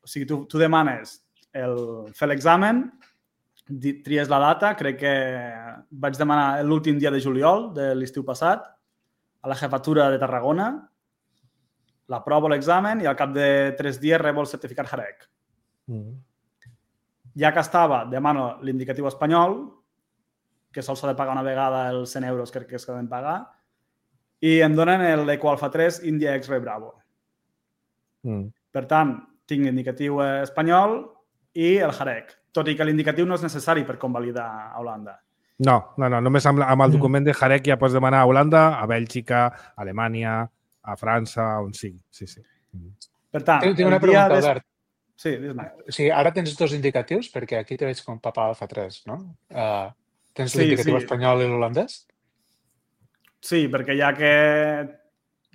O sigui, tu, tu demanes el, fer l'examen, di- tries la data, crec que vaig demanar l'últim dia de juliol de l'estiu passat, a la jefatura de Tarragona, l'aprovo l'examen i al cap de tres dies rebo el certificat Jarec. Mm. Ja que estava, demano l'indicatiu espanyol, que sols s'ha de pagar una vegada els cent euros, crec que es poden pagar, i em donen l'Ecoalfa tres India X-Ray Bravo. Mm. Per tant, tinc l'indicatiu espanyol i el Jarec, tot i que l'indicatiu no és necessari per convalidar a Holanda. No, no, no, només amb, amb el Mm. document de Jarec ja pots demanar a Holanda, a Bèlgica, a Alemanya, a França, on sigui. Sí, sí. Per tant, Tinc tinc una el dia pregunta, des- Albert. Sí, dis-me. O sigui, ara tens dos indicatius, perquè aquí te veig com Papa Alfa tres, no? Uh, tens Sí, l'indicatiu sí. espanyol i l'holandès? Sí, perquè ja que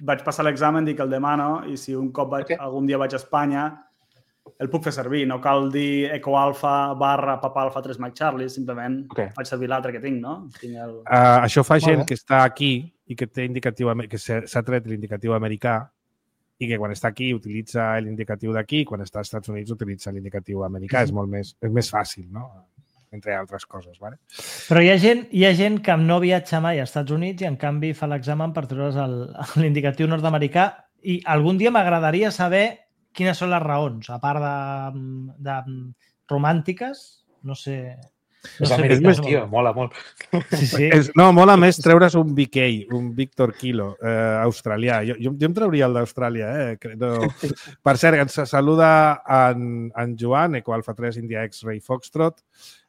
vaig passar l'examen, dic que el demano i si un cop vaig, Ok. algun dia vaig a Espanya, el puc fer servir. No cal dir Ecoalfa barra Papa Alfa tres Mike Charlie, simplement Ok. faig servir l'altre que tinc, no? Tinc el... Uh, això fa Molt gent bé. que està aquí i que té indicatiu, ame- que s'ha s'ha tret l'indicatiu americà i que quan està aquí utilitza l'indicatiu d'aquí i quan està als Estats Units utilitza l'indicatiu americà. És molt més, és més fàcil, no? Entre altres coses, ¿vale? Però hi ha, gent, hi ha gent que no viatja mai als Estats Units i, en canvi, fa l'examen per treure's el- l'indicatiu nord-americà i algun dia m'agradaria saber quines són les raons, a part de, de romàntiques, no sé... No És sé americà, per què. tio, mola molt. Sí, sí. És, no, mola més treure's un B K, un Victor Kilo, eh, australià. Jo, jo, jo em trauria el d'Austràlia. Eh? Que No. Per cert, ens saluda en, en Joan, Ecoalfa tres India X-Ray Foxtrot.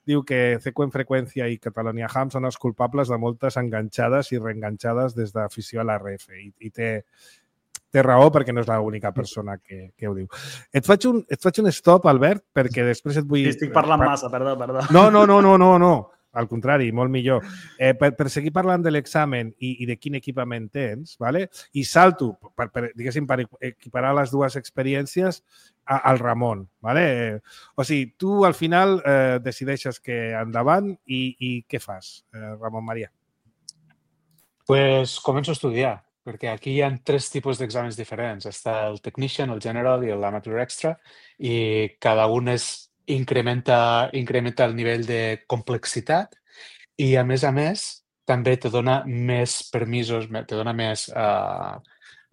Diu que C Q en freqüència i Catalonia Ham són els culpables de moltes enganxades i reenganxades des d'afició a l'R F. I, i té, té raó perquè no és l'única persona que, que ho diu. Et faig, un, et faig un stop, Albert, perquè després et vull... Sí, estic parlant massa, perdó, perdó. No, no, no, no, no, no. Al contrari, molt millor. Eh, per, per seguir parlant de l'examen i, i de quin equipament tens, ¿vale? I salto, per, per, diguéssim, per equiparar les dues experiències a, al Ramon. ¿Vale? Eh, o sigui, tu al final eh, decideixes que endavant i, i què fas, eh, Ramon Maria? Pues començo a estudiar, perquè aquí hi ha tres tipus d'exàmens diferents. Està el Technician, el General i l'Amateur Extra, i cada un és, incrementa, incrementa el nivell de complexitat i, a més a més, també te dona més permisos, me- te dona més... Uh,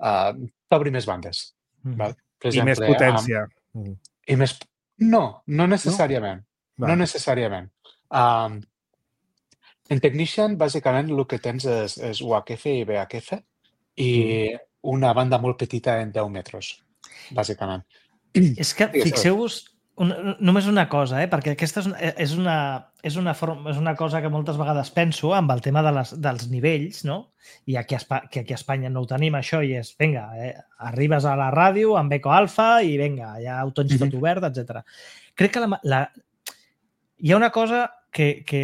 uh, T'obri més bandes. Mm. Val? Per I més exemple, amb- potència. Mm. I més... No, no necessàriament. No, Va. necessàriament. Um, en Technician, bàsicament, el que tens és, és U H F i V H F i una banda molt petita en deu metres, bàsicament. És que Digues, fixeu-vos una, només una cosa, eh? perquè aquesta és una, és, una, és, una forma, és una cosa que moltes vegades penso amb el tema de les, dels nivells, no? I aquí a, Espa, que aquí a Espanya no ho tenim, això, i és, vinga, eh, arribes a la ràdio amb Eco Alfa i vinga, ja ho tens tot obert, etcètera. Crec que la, la... hi ha una cosa que, que,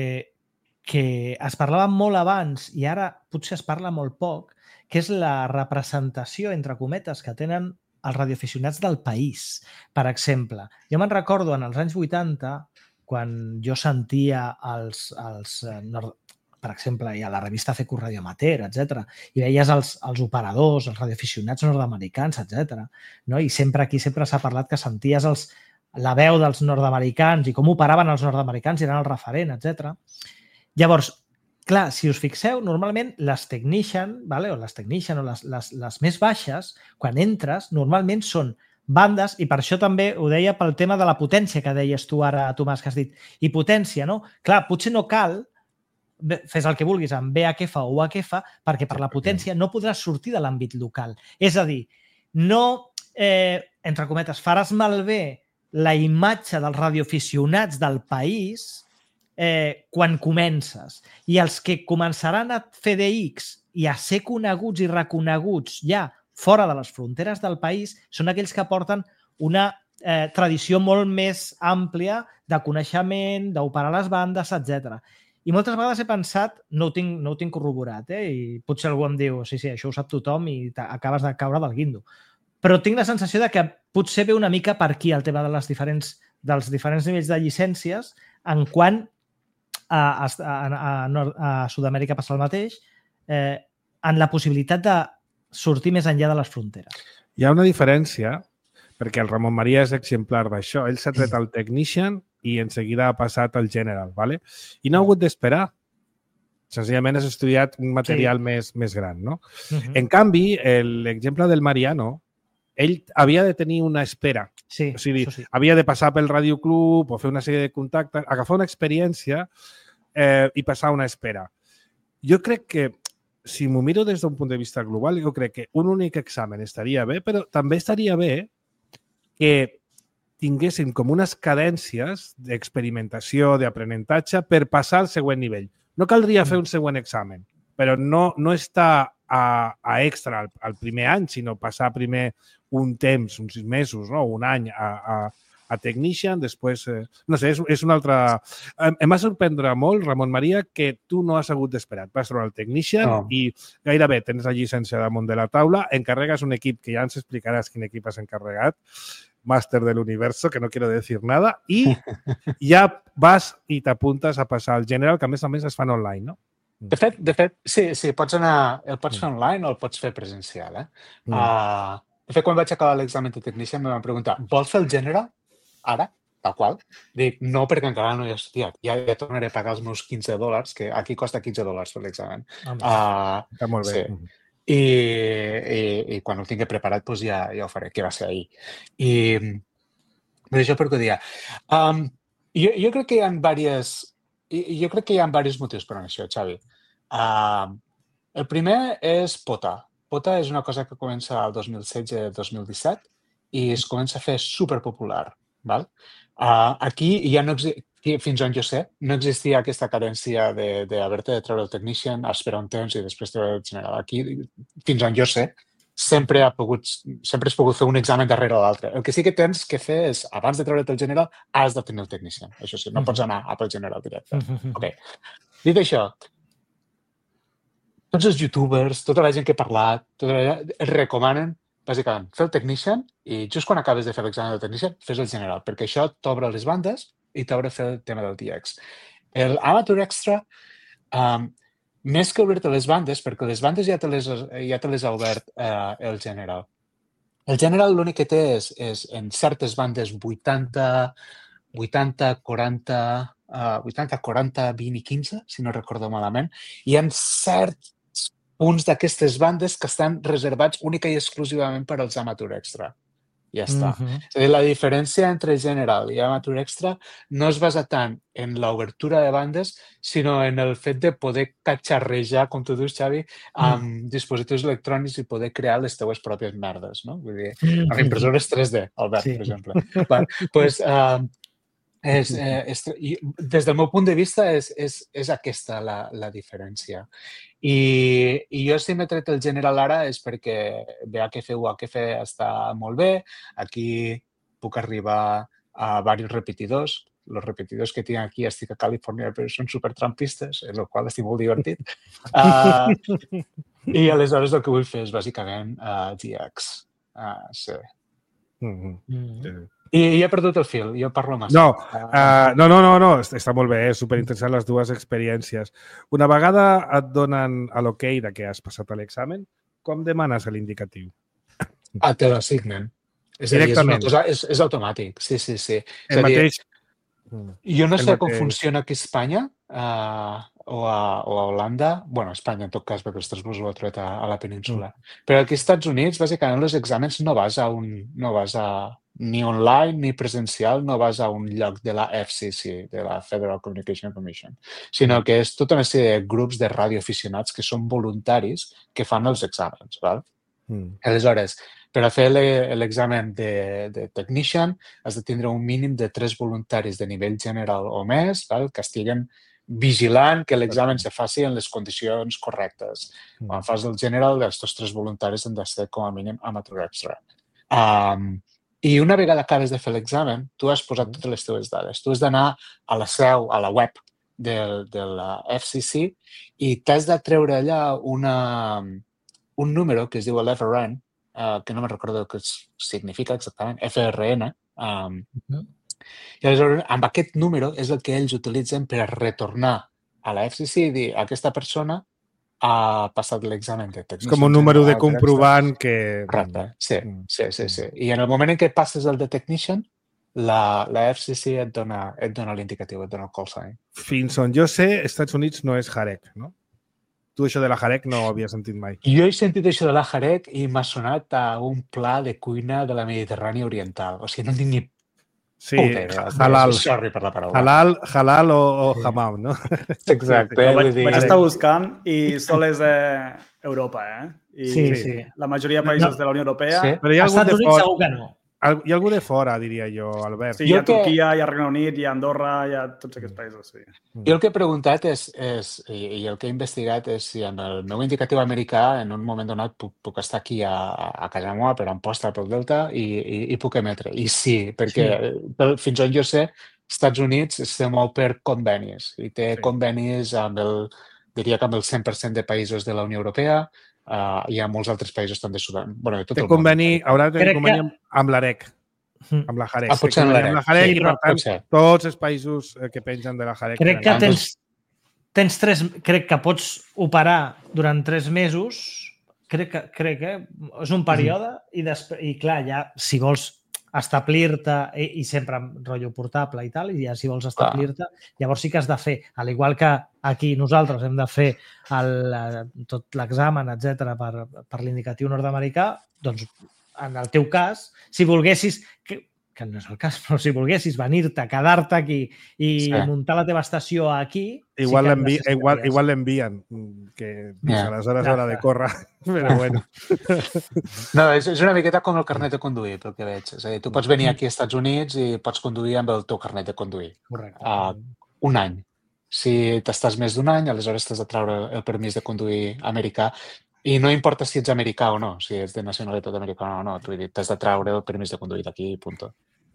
que es parlava molt abans i ara potser es parla molt poc, que és la representació, entre cometes, que tenen els radioaficionats del país. Per exemple, jo me'n recordo en els anys vuitanta, quan jo sentia els, els nord... per exemple, hi ha la revista C Q Radio Amateur, etcètera, i veies els, els operadors, els radioaficionats nord-americans, etcètera. No? I sempre aquí sempre s'ha parlat que senties els, la veu dels nord-americans i com operaven els nord-americans i eren el referent, etcètera. Llavors, clar, si us fixeu, normalment les technician, vale? o les technician o les, les, les més baixes, quan entres, normalment són bandes, i per això també ho deia pel tema de la potència que deies tu ara, Tomàs, que has dit. I potència, no? Clar, potser no cal, fes el que vulguis amb V H F o U H F, perquè per la potència no podràs sortir de l'àmbit local. És a dir, no, eh, entre cometes, faràs malbé la imatge dels radioaficionats del país Eh, quan comences. I els que començaran a fer D X i a ser coneguts i reconeguts ja fora de les fronteres del país són aquells que porten una eh, tradició molt més àmplia de coneixement, d'operar les bandes, etcètera. I moltes vegades he pensat, no ho tinc, no ho tinc corroborat, eh? i potser algú em diu, sí, sí, això ho sap tothom i acabes de caure del guindo. Però tinc la sensació de que potser ve una mica per aquí el tema de les diferents, dels diferents nivells de llicències, en quant A, a, a, a Sud-amèrica passa el mateix, eh, en la possibilitat de sortir més enllà de les fronteres. Hi ha una diferència, perquè el Ramon Maria és exemplar d'això. Ell s'ha tret el Technician i en seguida ha passat al General, ¿vale? I no ha hagut d'esperar. Senzillament has estudiat un material sí. més, més gran, no? Uh-huh. En canvi, l'exemple del Mariano, ell havia de tenir una espera. Sí, o sigui, sí. havia de passar pel radioclub o fer una sèrie de contactes, agafar una experiència eh, i passar una espera. Jo crec que, si m'ho miro des d'un punt de vista global, jo crec que un únic examen estaria bé, però també estaria bé que tinguessin com unes cadències d'experimentació, d'aprenentatge per passar al següent nivell. No caldria fer un següent examen, però no, no està a, a extra al, al primer any, sinó passar primer un temps, uns sis mesos, no? un any a, a, a Technician, després, eh, no sé, és, és una altra... Em, em va sorprendre molt, Ramon Maria, que tu no has hagut d'esperar. Vas trobar el Technician no. i gairebé tens la llicència damunt de la taula, encarregues un equip, que ja ens explicaràs quin equip has encarregat, Màster del Universo, que no quiero decir nada, i ja vas i t'apuntes a passar al General, que a més a més es fan online, no? De fet, de fet sí, sí, pots anar, el pots fer online o el pots fer presencial. Eh? Mm. Uh, de fet, quan vaig acabar l'examen de Technician, em van preguntar, vols fer el General ara? Tal qual. Dic, no, perquè encara no hi he estudiat. Ja, ja tornaré a pagar els meus quinze dòlars, que aquí costa quinze dòlars fer l'examen. Uh, Està molt bé. Sí. I, i, i quan ho tingui preparat doncs ja, ja ho faré, que va ser ahir. I per això per què ho dia. Um, jo, jo crec que hi ha diverses, jo crec que hi ha diversos motius per això, Xavi. Uh, el primer és Pota. Pota és una cosa que comença el dos mil setze dos mil disset i es comença a fer superpopular. Val? Uh, aquí ja no existeix, fins on jo sé, no existia aquesta cadència d'haver-te de, de treure el Technician, esperar un temps i després treure el General. Aquí, fins on jo sé, sempre, ha pogut, sempre has pogut fer un examen darrere l'altre. El que sí que tens que fer és, abans de treure't el General, has de tenir el Technician. Això sí, no pots anar a pel General directe. Okay. Dit això, tots els youtubers, tota la gent que he parlat, tota la gent, es recomanen bàsicament, fer el Technician i just quan acabes de fer l'examen del Technician, fes el General, perquè això t'obre les bandes i t'obre fer el tema del D X. El Amateur Extra, um, més que obrir-te les bandes, perquè les bandes ja te les, ja te les ha obert uh, el General. El General l'únic que té és, és en certes bandes vuitanta, vuitanta, quaranta, uh, vuitanta, quaranta, vint i quinze, si no recordo malament, i en certs punts d'aquestes bandes que estan reservats única i exclusivament per als Amateur Extra. Ja està. Mhm. És a dir, la diferència entre General i Amateur Extra no es basa tant en l'obertura de bandes, sinó en el fet de poder catxarrejar, com tu dius, Xavi, amb dispositius electrònics i poder crear les teues pròpies merdes, no? Vull dir, amb impressores tres D, Albert, Sí. per exemple. Va, pues, uh, és, eh, és, i des del meu punt de vista és, és, és aquesta la, la diferència. I, I jo si m'he tret el General ara és perquè B H F U H F està molt bé, aquí puc arribar a diversos repetidors, els repetidors que tinc aquí estic a Califòrnia però són supertrampistes, el qual estic molt divertit. Uh, I aleshores el que vull fer és bàsicament uh, G X. Uh, sí. Mm-hmm. Mm. I, I he perdut el fil, jo parlo massa. No, uh, no, no, no, no, està molt bé, és superinteressant les dues experiències. Una vegada et donen a l'ok de que has passat l'examen, com demanes l'indicatiu? Ah, te l'assignen. És a dir, és, una cosa, és, és automàtic, sí, sí, sí. És El a dir, mateix... jo no el sé com mateix. funciona aquí a Espanya uh, o, a, o a Holanda, bueno, a Espanya en tot cas, perquè Estrasburg ho ha trobat a, a la península. Mm. Però aquí als Estats Units, bàsicament, els exàmens no vas a un... no vas a ni online ni presencial, no vas a un lloc de la F C C, de la Federal Communication Commission, sinó que és tota una sèrie de grups de radioaficionats que són voluntaris que fan els exàmens. Val? Mm. Aleshores, per a fer l'examen de, de technician has de tindre un mínim de tres voluntaris de nivell general o més, val? Que estiguen vigilant que l'examen se faci en les condicions correctes. Mm. Quan fas el general, els tres voluntaris han de ser com a mínim amateur extra. Um, I una vegada acabes de fer l'examen, tu has posat totes les teves dades. Tu has d'anar a la seu, a la web de, de la F C C i t'has de treure allà una, un número que es diu l'F R N, uh, que no me'n recordo què significa exactament, F R N. Um, uh-huh. I aleshores, amb aquest número és el que ells utilitzen per retornar a la F C C i dir a aquesta persona ha passat l'examen de tècnic. És com un número de comprovant que... Correcte, sí, sí, sí, sí. I en el moment en què passes el de technician, la, la F C C et dona, et dona l'indicatiu, et dona el call sign. Fins on jo sé, Estats Units no és Jarek, no? Tu això de la Jarek no ho havia sentit mai. Jo he sentit això de la Jarek i m'ha sonat a un pla de cuina de la Mediterrània Oriental. O sigui, no tinc ni Sí, halal. Sorry per la paraula. Halal, halal o, o hamam, no? Exacte. No, vaig, vaig estar buscant i sol és eh, Europa, eh? I sí, sí. La majoria de països no. de la Unió Europea... Sí. Però hi ha algun de fora, segur que no. Hi ha algú de fora, diria jo, Albert. Sí, hi ha Turquia, hi ha Regne Unit, hi ha Andorra, hi ha tots aquests països, sí. Jo el que he preguntat és, és i, i el que he investigat és si amb el meu indicatiu americà en un moment donat puc, puc estar aquí a, a casa meva per Amposta, pel Delta i, i, i puc emetre. I sí, perquè sí. Fins on jo sé, Estats Units se mou per convenis i té sí. convenis amb el, diria que amb el cent per cent de països de la Unió Europea. Uh, hi ha molts altres països també de Sudan. Bueno, de tot té el conveni, món. Haurà de tenir conveni que... amb l'AREC, amb la Jarek. Ah, potser amb l'AREC. Sí, i, per tant, potser. tots els països que pengen de la Jarek. Crec que tens, tens tres... Crec que pots operar durant tres mesos, crec que, crec que és un període, mm. i, després, i clar, ja, si vols establir-te, i, i sempre amb rotllo portable i tal, i ja si vols establir-te, llavors sí que has de fer, al igual que aquí nosaltres hem de fer el, tot l'examen, etcètera per, per l'indicatiu nord-americà, doncs en el teu cas, si volguessis, que, que no és el cas, però si volguessis venir-te, quedar-te aquí i sí. muntar la teva estació aquí... Igual sí l'envi igual, igual l'envien, que yeah. aleshores haurà de córrer, però bueno. No, és, és una miqueta com el carnet de conduir, pel que veig. És a dir, tu pots venir aquí als Estats Units i pots conduir amb el teu carnet de conduir. Correcte. Uh, un any. Si t'estàs més d'un any, aleshores t'has de treure el permís de conduir americà. I no importa si ets americà o no, si ets de nacionalitat americana o no, t'has de treure el permís de conduir d'aquí i punt.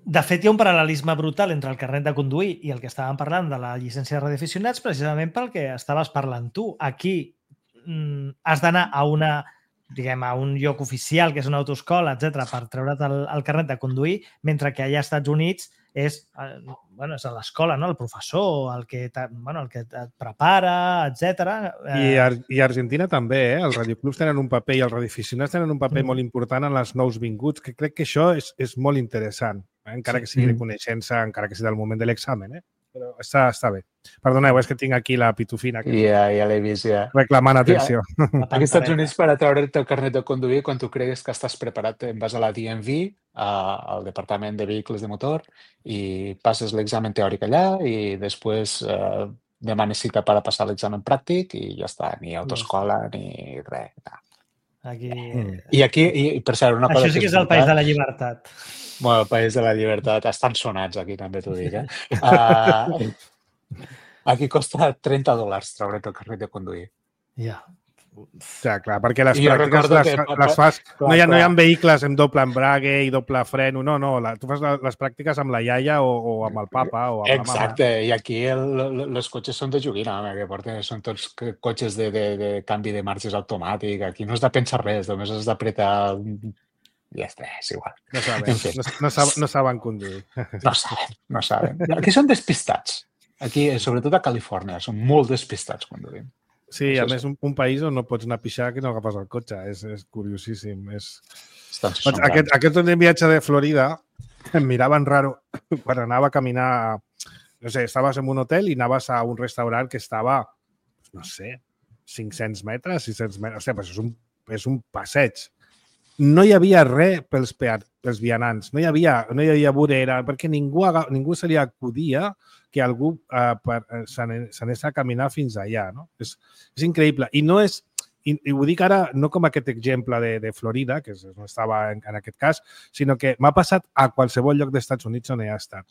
De fet, hi ha un paral·lelisme brutal entre el carnet de conduir i el que estàvem parlant de la llicència de radioaficionats, precisament pel que estaves parlant tu. Aquí mm, has d'anar a una, diguem, a un lloc oficial, que és una autoescola, etcètera, per treure't el, el carnet de conduir, mentre que allà als Estats Units és, bueno, és a l'escola, no? El professor, el que, bueno, el que et prepara, etcètera. I, Ar I Argentina també, eh? Els radioclubs tenen un paper i els radioaficionats tenen un paper mm. molt important en els nous vinguts, que crec que això és, és molt interessant, eh? Encara que sigui de coneixença, encara que sigui del moment de l'examen. Eh? però està, està bé. Perdoneu, és que tinc aquí la pitufina. Que Ja, ja l'he vist, ja. reclamant atenció. Aquí als Estats Units, per a treure't el carnet de conduir, quan tu cregues que estàs preparat, em vas a la D M V, al Departament de Vehicles de Motor, i passes l'examen teòric allà i després eh, demanes cita per a passar l'examen pràctic i ja està, ni autoescola ni res. No. Aquí... I aquí, i, per cert, una cosa... Això sí que és el país de la llibertat. Bueno, el país de la llibertat. Estan sonats aquí, també t'ho dic, eh? Uh, aquí costa trenta dòlars treure't el carnet de conduir. Ja. Ja, clar, perquè les I jo pràctiques recordo les, que- les fas... clar, no, hi ha, no hi ha clar. vehicles amb doble embrague i doble freno, no, no. La, tu fas la, les pràctiques amb la iaia o, o amb el papa o amb Exacte, i aquí el, els cotxes són de joguina, home, que porten, són tots c- cotxes de, de, de canvi de marxes automàtic. Aquí no has de pensar res, només has d'apretar... I ja està, és igual. la mama. No En saben, fi. no, no, saben, no saben conduir. No saben, no saben. Aquí són despistats. Aquí, sobretot a Califòrnia, són molt despistats conduint. Sí, Això a és- més, un, un país on no pots anar a pixar que no agafes el cotxe. És, és curiosíssim. És... Estan Doncs aquest, aquest últim viatge de Florida em miraven raro quan anava a caminar, no sé, estaves en un hotel i anaves a un restaurant que estava, no sé, cinc-cents metres, sis-cents metres. Hòstia, però és un, és un passeig. No hi havia res pels, peat, pels vianants, no hi havia, no hi havia vorera, perquè ningú, aga- ningú se li acudia que algú eh, per- eh, se n'anés se n'anés a caminar fins allà. No? És, és increïble. I no és, i, i ho dic ara no com aquest exemple de, de Florida, que és- no estava en, en aquest cas, sinó que m'ha passat a qualsevol lloc dels Estats Units on he estat.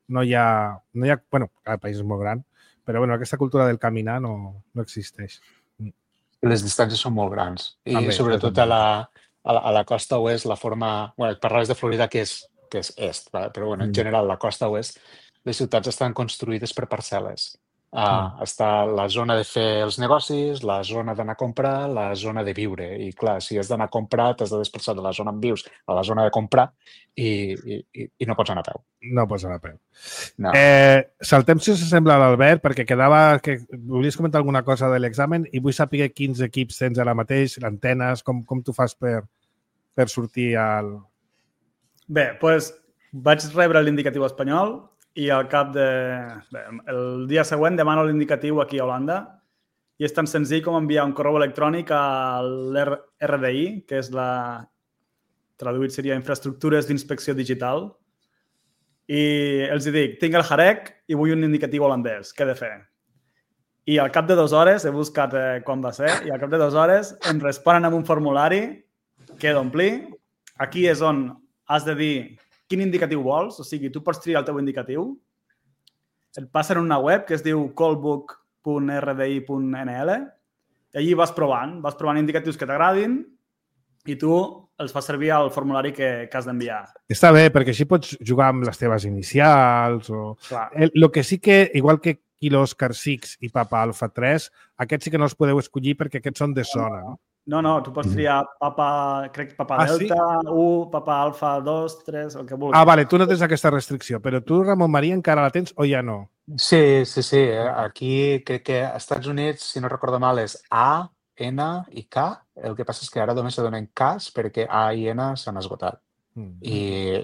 No hi ha... No hi ha bueno, cada país és molt gran, però bueno, aquesta cultura del caminar no, no existeix. Les distàncies són molt grans. I També, sobretot també. a la, a la, a la costa oest, la forma... Bueno, parlaves de Florida, que és, que és est, vale? Però bueno, en Mm. general, la costa oest, les ciutats estan construïdes per parcel·les. Uh, està la zona de fer els negocis, la zona d'anar a comprar, la zona de viure. I clar, si has d'anar a comprar, t'has de desplaçar de la zona on vius a la zona de comprar i, i, i i no pots anar a peu. No pots anar a peu. No. Eh, saltem, si us sembla, a l'Albert, perquè quedava que volies comentar alguna cosa de l'examen i vull saber quins equips tens ara mateix, antenes, com, com tu fas per, per sortir al... Bé, doncs vaig rebre l'indicatiu espanyol i al cap de... Bé, el dia següent demano l'indicatiu aquí a Holanda i és tan senzill com enviar un correu electrònic a l'R D I, que és la... traduït seria Infraestructures d'Inspecció Digital, i els hi dic, tinc el Jarec i vull un indicatiu holandès, què he de fer? I al cap de dues hores, he buscat eh, quan va ser, i al cap de dues hores em responen amb un formulari que he d'omplir. Aquí és on has de dir quin indicatiu vols, o sigui, tu pots triar el teu indicatiu, et passen una web que es diu callbook punt r d i punt n l i allí vas provant, vas provant indicatius que t'agradin i tu els fas servir al formulari que, que has d'enviar. Està bé, perquè així pots jugar amb les teves inicials o... Clar. El, lo que sí que, igual que Kilo Oscar sis i Papa Alfa tres, aquests sí que no els podeu escollir perquè aquests són de zona, no? No, no, tu pots triar Papa, crec, Papa Ah, sí? Delta, u, Papa Alfa dos, tres, el que vulguis. Ah, vale, tu no tens aquesta restricció, però tu, Ramon Maria, encara la tens o ja no? Sí, sí, sí. Aquí crec que als Estats Units, si no recordo mal, és A, N i K. El que passa és que ara només se donen Ks perquè A i N s'han esgotat. Mm. I,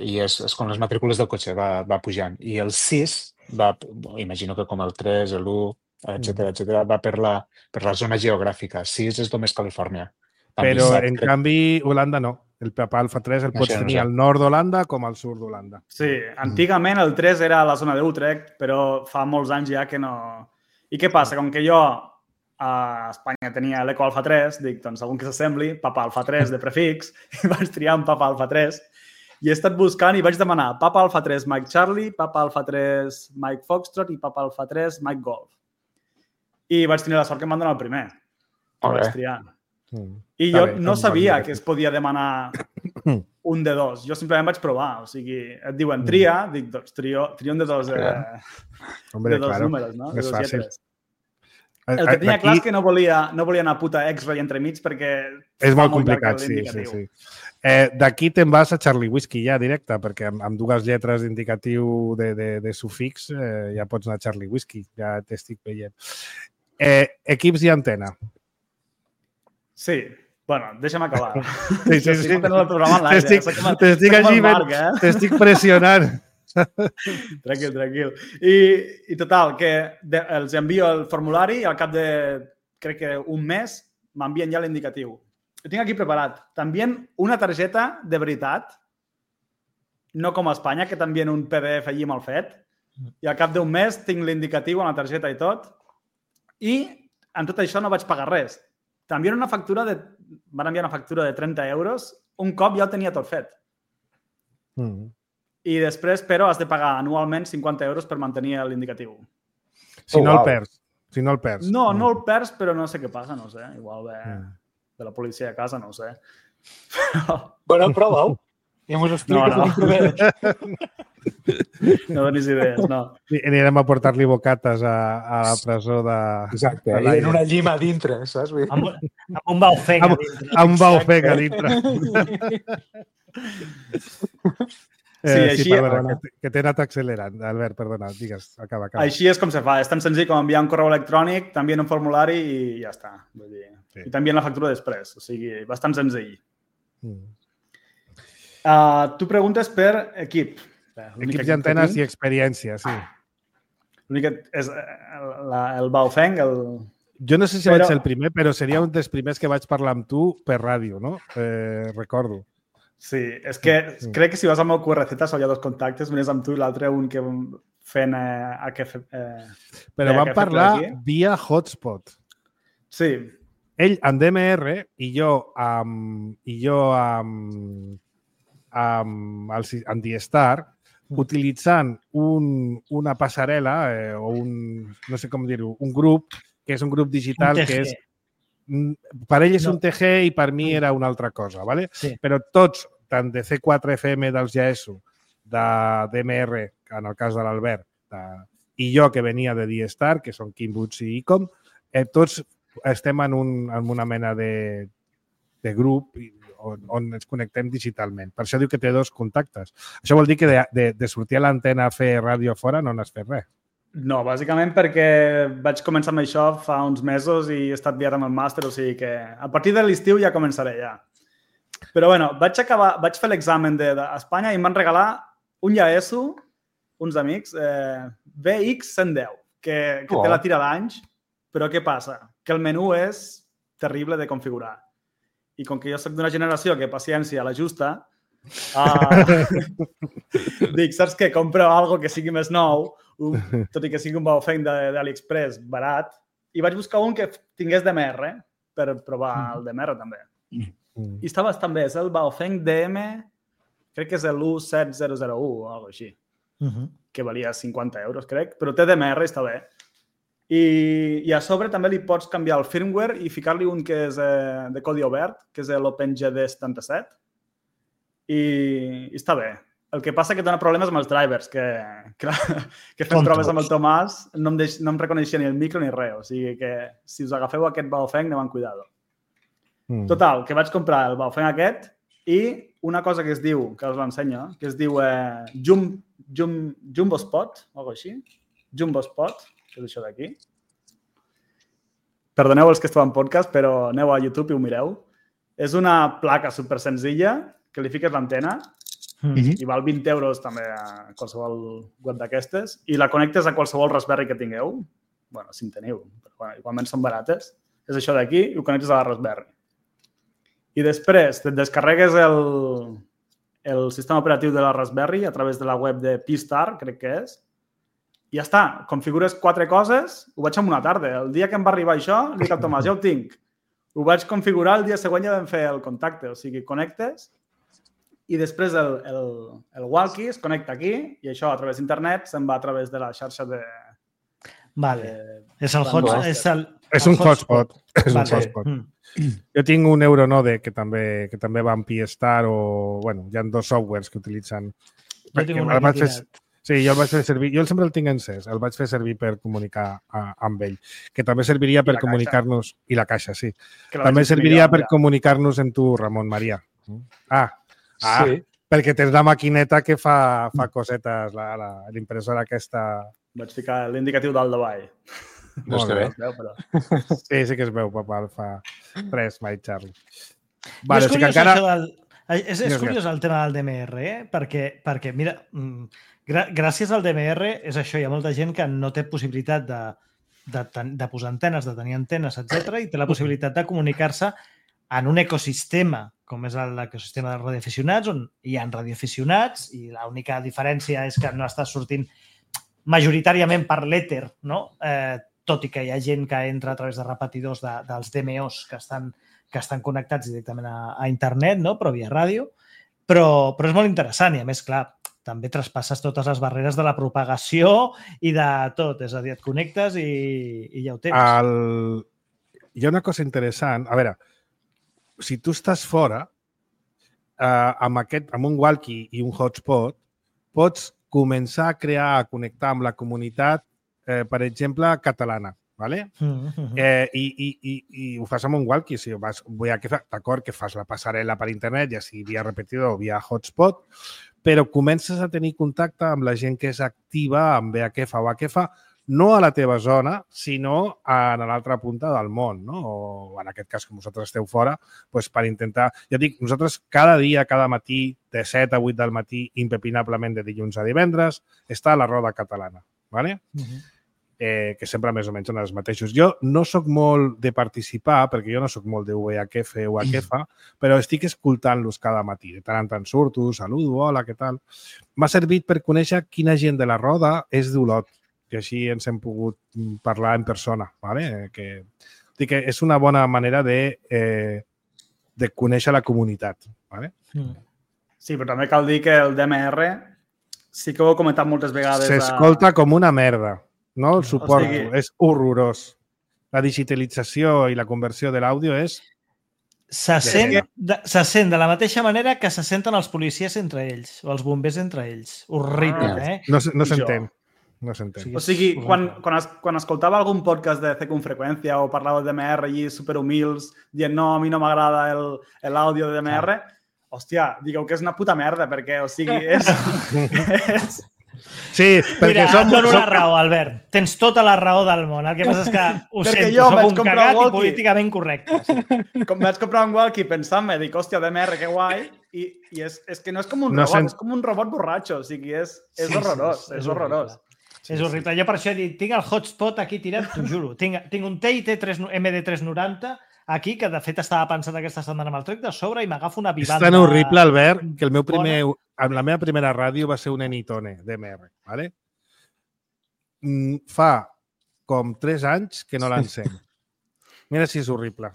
i és, és com les matrícules del cotxe, va, va pujant. I el sis, va, imagino que com el tres, l'u, etcètera, etcètera, va per la, per la zona geogràfica. sis és només Califòrnia. També Però, set, en crec. canvi, Holanda no. El Papa Alfa tres el No pots sé, no tenir sé. al nord d'Holanda com al sud d'Holanda. Sí, antigament el tres era a la zona d'Utrecht, però fa molts anys ja que no... I què passa? Com que jo a Espanya tenia l'Eco Alfa tres, dic, doncs algun que s'assembli, Papa Alfa tres de prefix, i vaig triar un Papa Alfa tres i he estat buscant i vaig demanar Papa Alfa tres Mike Charlie, Papa Alfa tres Mike Foxtrot i Papa Alfa tres Mike Golf. I vaig tenir la sort que em van donar el primer. Que Molt bé. vaig triar. Mm. I Està jo bé, no és un sabia bon que es podia demanar un de dos. Jo simplement vaig provar. O sigui, et diuen tria, dic, doncs trio, trio un de dos, eh, Hombre, de dos claro, números, no? De és dos fàcil. lletres. El que tenia Aquí clar és que no volia, no volia anar puta X-Ray entremig perquè és fa molt llarg complicat, sí, sí, l'indicatiu. sí. Eh, D'aquí te'n vas a Charlie Whiskey ja directe, perquè amb, amb dues lletres d'indicatiu de, de, de sufix eh, ja pots anar a Charlie Whiskey, ja t'estic veient. Eh, equips i antena. Sí. Bueno, deixa'm acabar. Sí, sí, sí. Estic fotent el programa en l'aire. T'estic Soc com- t'estic soc com així, el Marc, eh? t'estic pressionant. Tranquil, tranquil. I, i total, que de, els envio el formulari i al cap de, crec que un mes, m'envien ja l'indicatiu. Ho tinc aquí preparat. T'envien una targeta de veritat, no com a Espanya, que t'envien un P D F allí mal fet, i al cap d'un mes tinc l'indicatiu amb la targeta i tot, i en tot això no vaig pagar res. T'envien una factura de... Van enviar una factura de trenta euros, un cop ja ho tenia tot fet. Mm. I després, però, has de pagar anualment cinquanta euros per mantenir l'indicatiu. Si Oh, no el wow. perds. Si no el perds. No, no el perds, però no sé què passa, no sé. Igual ve Mm. de la policia a casa, no ho sé. Bueno, prova-ho. I m'ho expliques No, no. una mica bé. No donis idees, no. I anirem a portar-li bocates a, a la presó de... Exacte, de i l'aire. en una llima a dintre, saps? Vull dir- Amb, amb un baufeng a Amb, dintre. amb baufeng a dintre. Sí, Eh, així- sí, perdona, que, que t'he anat accelerant. Albert, perdona, digues, acaba, acaba. Així és com se fa. És tan senzill com enviar un correu electrònic, t'envien un formulari i ja està. Vull dir, Sí. I t'envien la factura després. O sigui, bastant senzill. Mm. Uh, tu preguntes per equip. L'únic Equips equip i antenes que i tinc- experiència, sí. L'únic que és eh, el, la, el Baofeng, el... Jo no sé si Però- vaig ser el primer, però seria un dels primers que vaig parlar amb tu per ràdio, no? Eh, recordo. Sí, és que Mm. crec que si vas al meu Q R Z hi ha dos contactes, un és amb tu i l'altre un que fent eh, a què fer... Eh... Però Bé, vam que ha fet parlar aquí. via hotspot. Sí, Ell amb D M R i jo amb, i jo amb, amb, el, si- amb D-Star utilitzant un, una passarel·la eh, o un, no sé com dir-ho, un grup, que és un grup digital Un T G. que és... mm, Per ell és No. un T G i per mi era una altra cosa, ¿vale? Sí. Però tots, tant de C quatre F M dels G S O, de D M R, en el cas de l'Albert, de- i jo que venia de D-Star, que són Kim Boots i Icom, eh, tots estem en, un, en una mena de, de grup i- on, on ens connectem digitalment. Per això diu que té dos contactes. Això vol dir que de, de, de sortir a l'antena a fer ràdio a fora no n'has fet res. no, bàsicament perquè vaig començar amb això fa uns mesos i he estat liat amb el màster, o sigui que a partir de l'estiu ja començaré ja. Però bueno, vaig acabar, vaig fer l'examen d'Espanya i em van regalar un llaeso, uns amics, eh, V X cent deu, que, que té la tira d'anys, però què passa? Que el menú és terrible de configurar. I com que jo soc d'una generació que paciència a la justa, uh, dic, saps què? Compro algo que sigui més nou, un, tot i que sigui un Baofeng d'AliExpress barat, i vaig buscar un que tingués D M R per provar el D M R també. Mm. I està bastant bé. És el Baofeng D M, crec que és l'u set zero zero u o alguna cosa així, Uh -huh. que valia cinquanta euros, crec, però té D M R i està bé. I, I a sobre també li pots canviar el firmware i ficar-li un que és eh, de codi obert, que és l'OpenGD setanta-set, i, i està bé. El que passa que dona problemes amb els drivers, que, que, que fent Tontos. proves amb el Tomàs no em, deix, no em reconeixia ni el micro ni res. O sigui que si us agafeu aquest Baofeng, aneu amb cuidado. Mm. Total, que vaig comprar el Baofeng aquest i una cosa que es diu, que us l'ensenyo, que es diu eh, Jum, Jum, Jumbo Spot, o alguna cosa així. Jumbo Spot, que és això d'aquí. Perdoneu els que esteu en podcast, però aneu a YouTube i ho mireu. És una placa super senzilla que li fiques l'antena Mm. i val vint euros també a qualsevol web d'aquestes i la connectes a qualsevol Raspberry que tingueu. Bueno, si en teniu, però bueno, igualment són barates. És això d'aquí i ho connectes a la Raspberry. I després et descarregues el, el sistema operatiu de la Raspberry a través de la web de P-Star, crec que és, i ja està. Configures quatre coses, ho vaig en una tarda. El dia que em va arribar això, li dic al Tomàs, ja ho tinc. Ho vaig configurar, el dia següent ja vam fer el contacte. O sigui, connectes i després el, el, el walkie es connecta aquí i això a través d'internet se'n va a través de la xarxa de... Vale. de És el Van hotspot. Master. És, el, És el un hotspot. És un Vale. hotspot. Mm. Jo tinc un Euronode que també, que també va amb P-Star o... Bueno, hi ha dos softwares que utilitzen. Jo tinc un el vaig aquí fer, tirat. sí, jo el vaig fer servir... Jo sempre el tinc encès. El vaig fer servir per comunicar a, amb ell. Que també serviria per la caixa. comunicar-nos... I la caixa, sí. que la També vaig serviria imprimir per jo, comunicar-nos amb tu, Ramon Maria. Ah, ah Sí. perquè tens la maquineta que fa, fa cosetes, la- la- l'impressora aquesta... ja. Vaig ficar l'indicatiu dalt davall. No està bé. Es veu, però... Sí, sí que es veu, papa, el fa res, my Charlie. Vale, és o sigui curiós que encara... això del... És, és Digues, curiós el tema del D M R, eh? perquè, perquè, mira, mm, gràcies al D M R és això, hi ha molta gent que no té possibilitat de, de, de posar antenes, de tenir antenes, etcètera, i té la possibilitat de comunicar-se en un ecosistema, com és l'ecosistema dels radioaficionats, on hi ha radioaficionats i l'única diferència és que no està sortint majoritàriament per l'èter, no? Eh, tot i que hi ha gent que entra a través de repetidors de, dels D M Os que estan, que estan connectats directament a, a internet, no? Però via ràdio. Però, però és molt interessant i, a més, clar, també traspasses totes les barreres de la propagació i de tot. És a dir, et connectes i, i ja ho tens. El... Hi ha una cosa interessant. A veure, si tu estàs fora, eh, amb, aquest, amb un walkie i un hotspot, pots començar a crear, a connectar amb la comunitat, eh, per exemple, catalana. Vale? Mm-hmm. eh, i, i, i, I ho fas amb un walkie. Si vas, vull que fa, d'acord que fas la passarel·la per internet, ja sigui via repetidor o via hotspot, però comences a tenir contacte amb la gent que és activa amb V H F o H F, no a la teva zona, sinó a l'altra punta del món, no? O en aquest cas, com vosaltres esteu fora, doncs per intentar... Ja dic, nosaltres cada dia, cada matí, de set a vuit del matí, impepinablement de dilluns a divendres, està a la Roda Catalana, ¿vale? Uh-huh. Eh, que sempre més o menys són els mateixos. Jo no sóc molt de participar, perquè jo no sóc molt de V H F o H F, però estic escoltant-los cada matí. De tant en tant surto, saludo, hola, què tal? M'ha servit per conèixer quina gent de la Roda és d'Olot, que així ens hem pogut parlar en persona. ¿Vale? Que, que és una bona manera de, eh, de conèixer la comunitat. ¿Vale? Sí, però també cal dir que el D M R, sí que ho he comentat moltes vegades... S'escolta a... com una merda. No el suporto, o sigui, és horrorós. La digitalització i la conversió de l'àudio és... Se sent, de, se sent de la mateixa manera que se senten els policies entre ells, o els bombers entre ells. Horrible, ah, eh? No, no s'entén. No s'entén. O sigui, quan, quan, es, quan escoltava algun podcast de C con Freqüència o parlava de D M R allí superhumils, dient no, a mi no m'agrada l'àudio de D M R, ah. Hòstia, digueu que és una puta merda, perquè, o sigui, és... és... Sí, perquè Mira, som... et dono la raó, Albert. Tens tota la raó del món. El que passa és que ho perquè sento, jo soc un cagat un i políticament correcte. Sí. Com vaig comprar un walkie pensant-me, dic, hòstia, D M R, que guai, i, i és, és que no és com un no robot, sent... és com un robot borratxo, o sigui, és, és sí, horrorós, sí, és, és horrorós. Sí, és horrible. Sí. Jo per això he dit, tinc el hotspot aquí tirat, t'ho juro. Tinc, tinc un T I T M D tres noranta aquí, que de fet estava pensant aquesta setmana amb el trec de sobre i m'agafo una vivanda... És tan horrible, Albert, que el meu primer... La meva primera ràdio va ser un Enitone D M R, ¿vale? Fa com tres anys que no l'encenc. Mira si és horrible.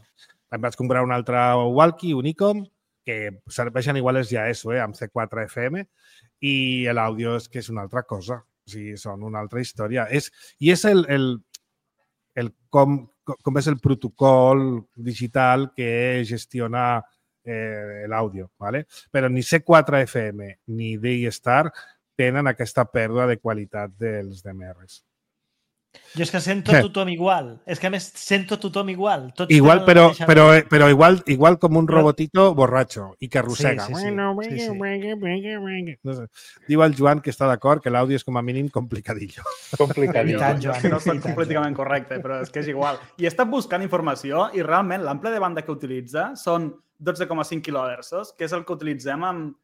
Em vaig comprar un altre walkie, un Icom, que serveixen igual els ja eso, eh, amb C quatre F M, i l'àudio és que és una altra cosa. O sigui, són una altra història. És, I és el, el, el com, com és el protocol digital que gestiona eh, l'àudio, ¿vale? Però ni C quatre F M ni D-Star tenen aquesta pèrdua de qualitat dels D M Rs. Jo és que sento tothom igual. És que, a més, sento tothom igual. Tots igual, però, però, però igual, igual com un robotito borratxo i que arrossega. Sí, sí, sí. sí, sí. No sé. Diu el Joan que està d'acord que l'àudio és com a mínim complicadillo. Complicadillo. tant, Joan, és que no soc completament correcte, però és que és igual. I he estat buscant informació i realment l'ample de banda que utilitza són dotze coma cinc quilohertzos, que és el que utilitzem amb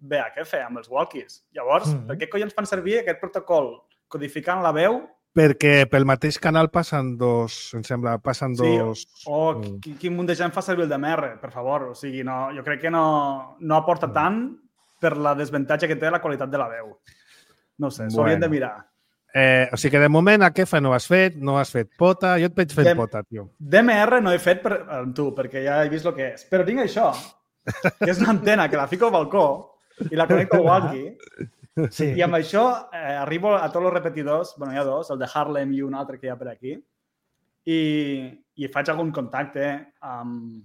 V H F, amb els walkies. Llavors, mm. per què collons fan servir aquest protocol codificant la veu? Perquè pel mateix canal passen dos, em sembla, passen sí, dos... O quin, quin munt de gent fa servir el D M R, per favor. O sigui, no, jo crec que no, no aporta tant per la desavantatge que té la qualitat de la veu. No sé, s'ho haurien bueno. de mirar. Eh, o sigui que de moment a Kefa no has fet, no has fet pota, jo et veig fent D pota, tio. D M R no he fet per, amb tu, perquè ja he vist el que és. Però tinc això, que és una antena que la fico al balcó i la connecto al walkie. Sí. I amb això eh, arribo a tots els repetidors, bueno, hi ha dos, el de Harlem i un altre que hi ha per aquí, i, i faig algun contacte amb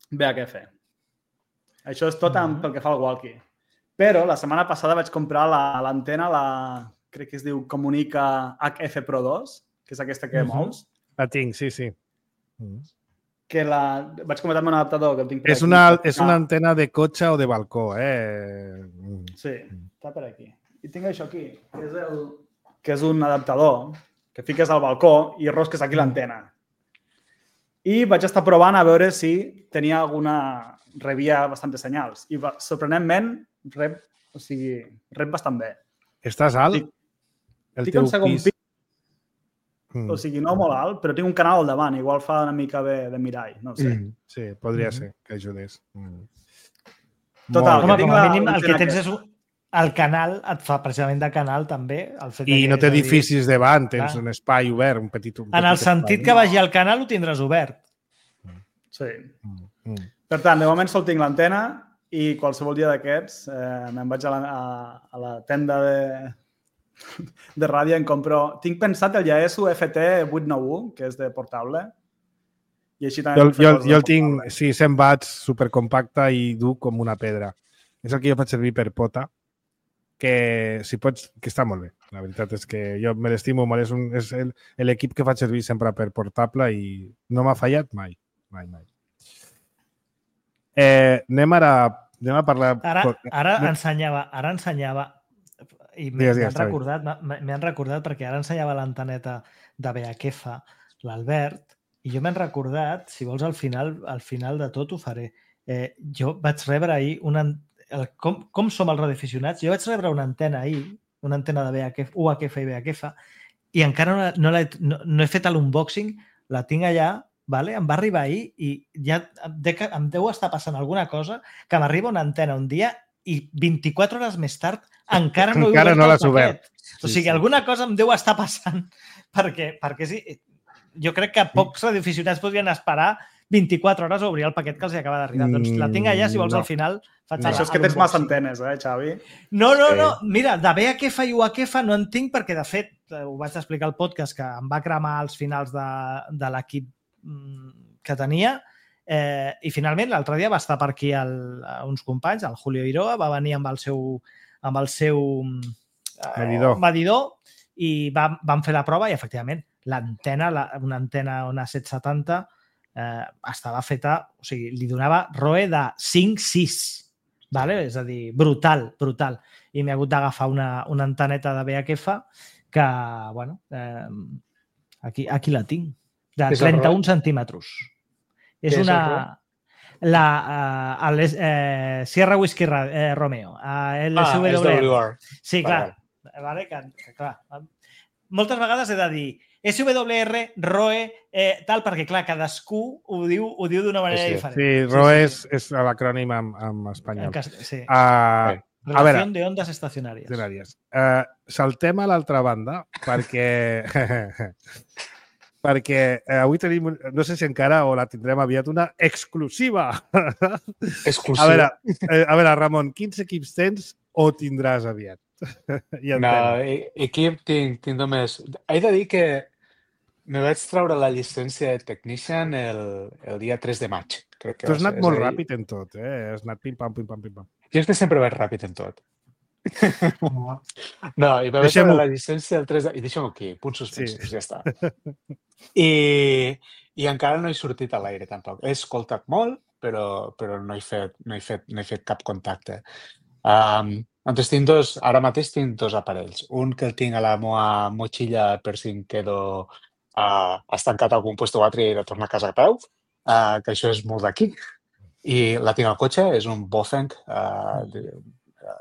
V H F. Això és tot amb, pel que fa al walkie. Però la setmana passada vaig comprar l'antena, la, la, crec que es diu Comunica H F Pro dos, que és aquesta que uh-huh. mous. La tinc, sí, sí. Uh-huh. Que la... Vaig comentar amb un adaptador que el tinc per és aquí. Una, és una antena de cotxe o de balcó, eh? Sí, està per aquí. I tinc això aquí, que és, el, que és un adaptador que fiques al balcó i rosques aquí l'antena. I vaig estar provant a veure si tenia alguna... rebia bastants senyals. I sorprenentment rep, o sigui, rep bastant bé. Estàs alt? Estic, El estic teu en segon pis... pis, o sigui, no molt alt, però tinc un canal al davant, igual fa una mica de, de mirall, no ho sé. Mm, sí, podria Mhm. ser que ajudés. Mm. Total, Molt Home, que tinc com a la- mínim, el que l'antena tens és... aquesta. un- El canal et fa precisament de canal, també. El fet bé. de I que, no té és a dir, edificis davant, tens clar. un espai obert, un petit... Un En petit el sentit espai. que vagi al canal ho tindràs obert. Sí. Mm, mm. Per tant, de moment sol tinc l'antena i qualsevol dia d'aquests eh, me'n vaig a la, a, a la tenda de, de ràdio i em compro... Tinc pensat el Yaesu F T vuit nou u, que és de portable, i així també Jo, puc fer jo, coses jo de el tinc, portable. sí, cent watts, supercompacte i dur com una pedra. És el que jo faig servir per pota, que si pots, que està molt bé. La veritat és que jo me l'estimo molt. És, un, és el- l'equip que faig servir sempre per portable i no m'ha fallat mai. Mai, mai. Eh, anem ara anem a parlar... Ara, ara No- ensenyava, ara ensenyava i m'he Digues, m'he digues, Xavi. recordat, m'he m'he recordat perquè ara ensenyava l'anteneta de B H F, l'Albert, i jo m'he recordat, si vols al final, al final de tot ho faré. Eh, jo vaig rebre ahir una, el, com, com som els radioaficionats, jo vaig rebre una antena ahir, una antena de B H F, U H F i B H F, i encara no, no, l'he- no, no he fet l'unboxing, la tinc allà, vale? Em va arribar ahir i ja em, de, em deu estar passant alguna cosa que m'arriba una antena un dia i vint-i-quatre hores més tard encara no he Encara obert no el l'has obert. paquet. O sigui, sí. alguna cosa em deu estar passant perquè, perquè sí, jo crec que pocs radioaficionats podrien esperar vint-i-quatre hores a obrir el paquet que els acaba d'arribar. Doncs la tinc allà, si vols, No. al final faig No. el- Això és que tens massa l'unboxing. antenes, eh, Xavi? No, no, Sí. no. Mira, de B H F i U H F no en tinc perquè, de fet, eh, ho vaig explicar al podcast, que em va cremar als finals de, de l'equip mm, que tenia eh, i finalment l'altre dia va estar per aquí el, uns companys, el Julio Iroa, va venir amb el seu, amb el seu eh, Medidor. medidor i vam, vam fer la prova i, efectivament, l'antena, la, una antena, una set setanta, eh, estava feta, o sigui, li donava R O E de cinc sis. Vale? És a dir, brutal, brutal. I m'he hagut d'agafar una, una anteneta de B H F que, bueno, eh, aquí, aquí la tinc, de Què és el trenta-un R O E? centímetres. És Què és el una... R O E? La uh, el, eh, Sierra Whisky Ra- eh, Romeo. Uh, el Ah, S W és R. W R. Sí, Vale, clar. Vale, que, que, clar. Moltes vegades he de dir S W R, R O E, eh, tal, perquè, clar, cadascú ho diu ho diu d'una manera Sí, sí. diferent. Sí, R O E és, és l'acrònim en, en En espanyol. cas, sí. Uh, a veure, Relación de ondas estacionàries. Estacionàries. Uh, saltem a l'altra banda perquè perquè eh, avui tenim, un- no sé si encara o la tindrem aviat, una exclusiva. Exclusiu. A veure, eh, a veure, Ramon, quins equips tens o tindràs aviat? I No, antena. e- equip tinc, tinc només... He de dir que me vaig treure la llicència de Technician el, el dia tres de maig. Crec que Tu va has ser. anat És molt a dir, ràpid en tot, eh? Has anat pim-pam, pim-pam, pim-pam. Jo és que sempre vaig ràpid en tot. No, i me vaig Deixem-ho. treure la llicència el tres de... I deixem-ho aquí, punts suspensos, Sí. ja està. I, I encara no he sortit a l'aire, tampoc. He escoltat molt, però, però no, he fet, no, he fet, no he fet cap contacte. Um, Entonces, tinc dos, ara mateix tinc dos aparells. Un que el tinc a la meva motxilla per si em quedo uh, estancat a algun puesto o altre i he de tornar a casa a peu, uh, que això és molt d'aquí. I la tinc al cotxe, és un Bofeng uh, de, uh,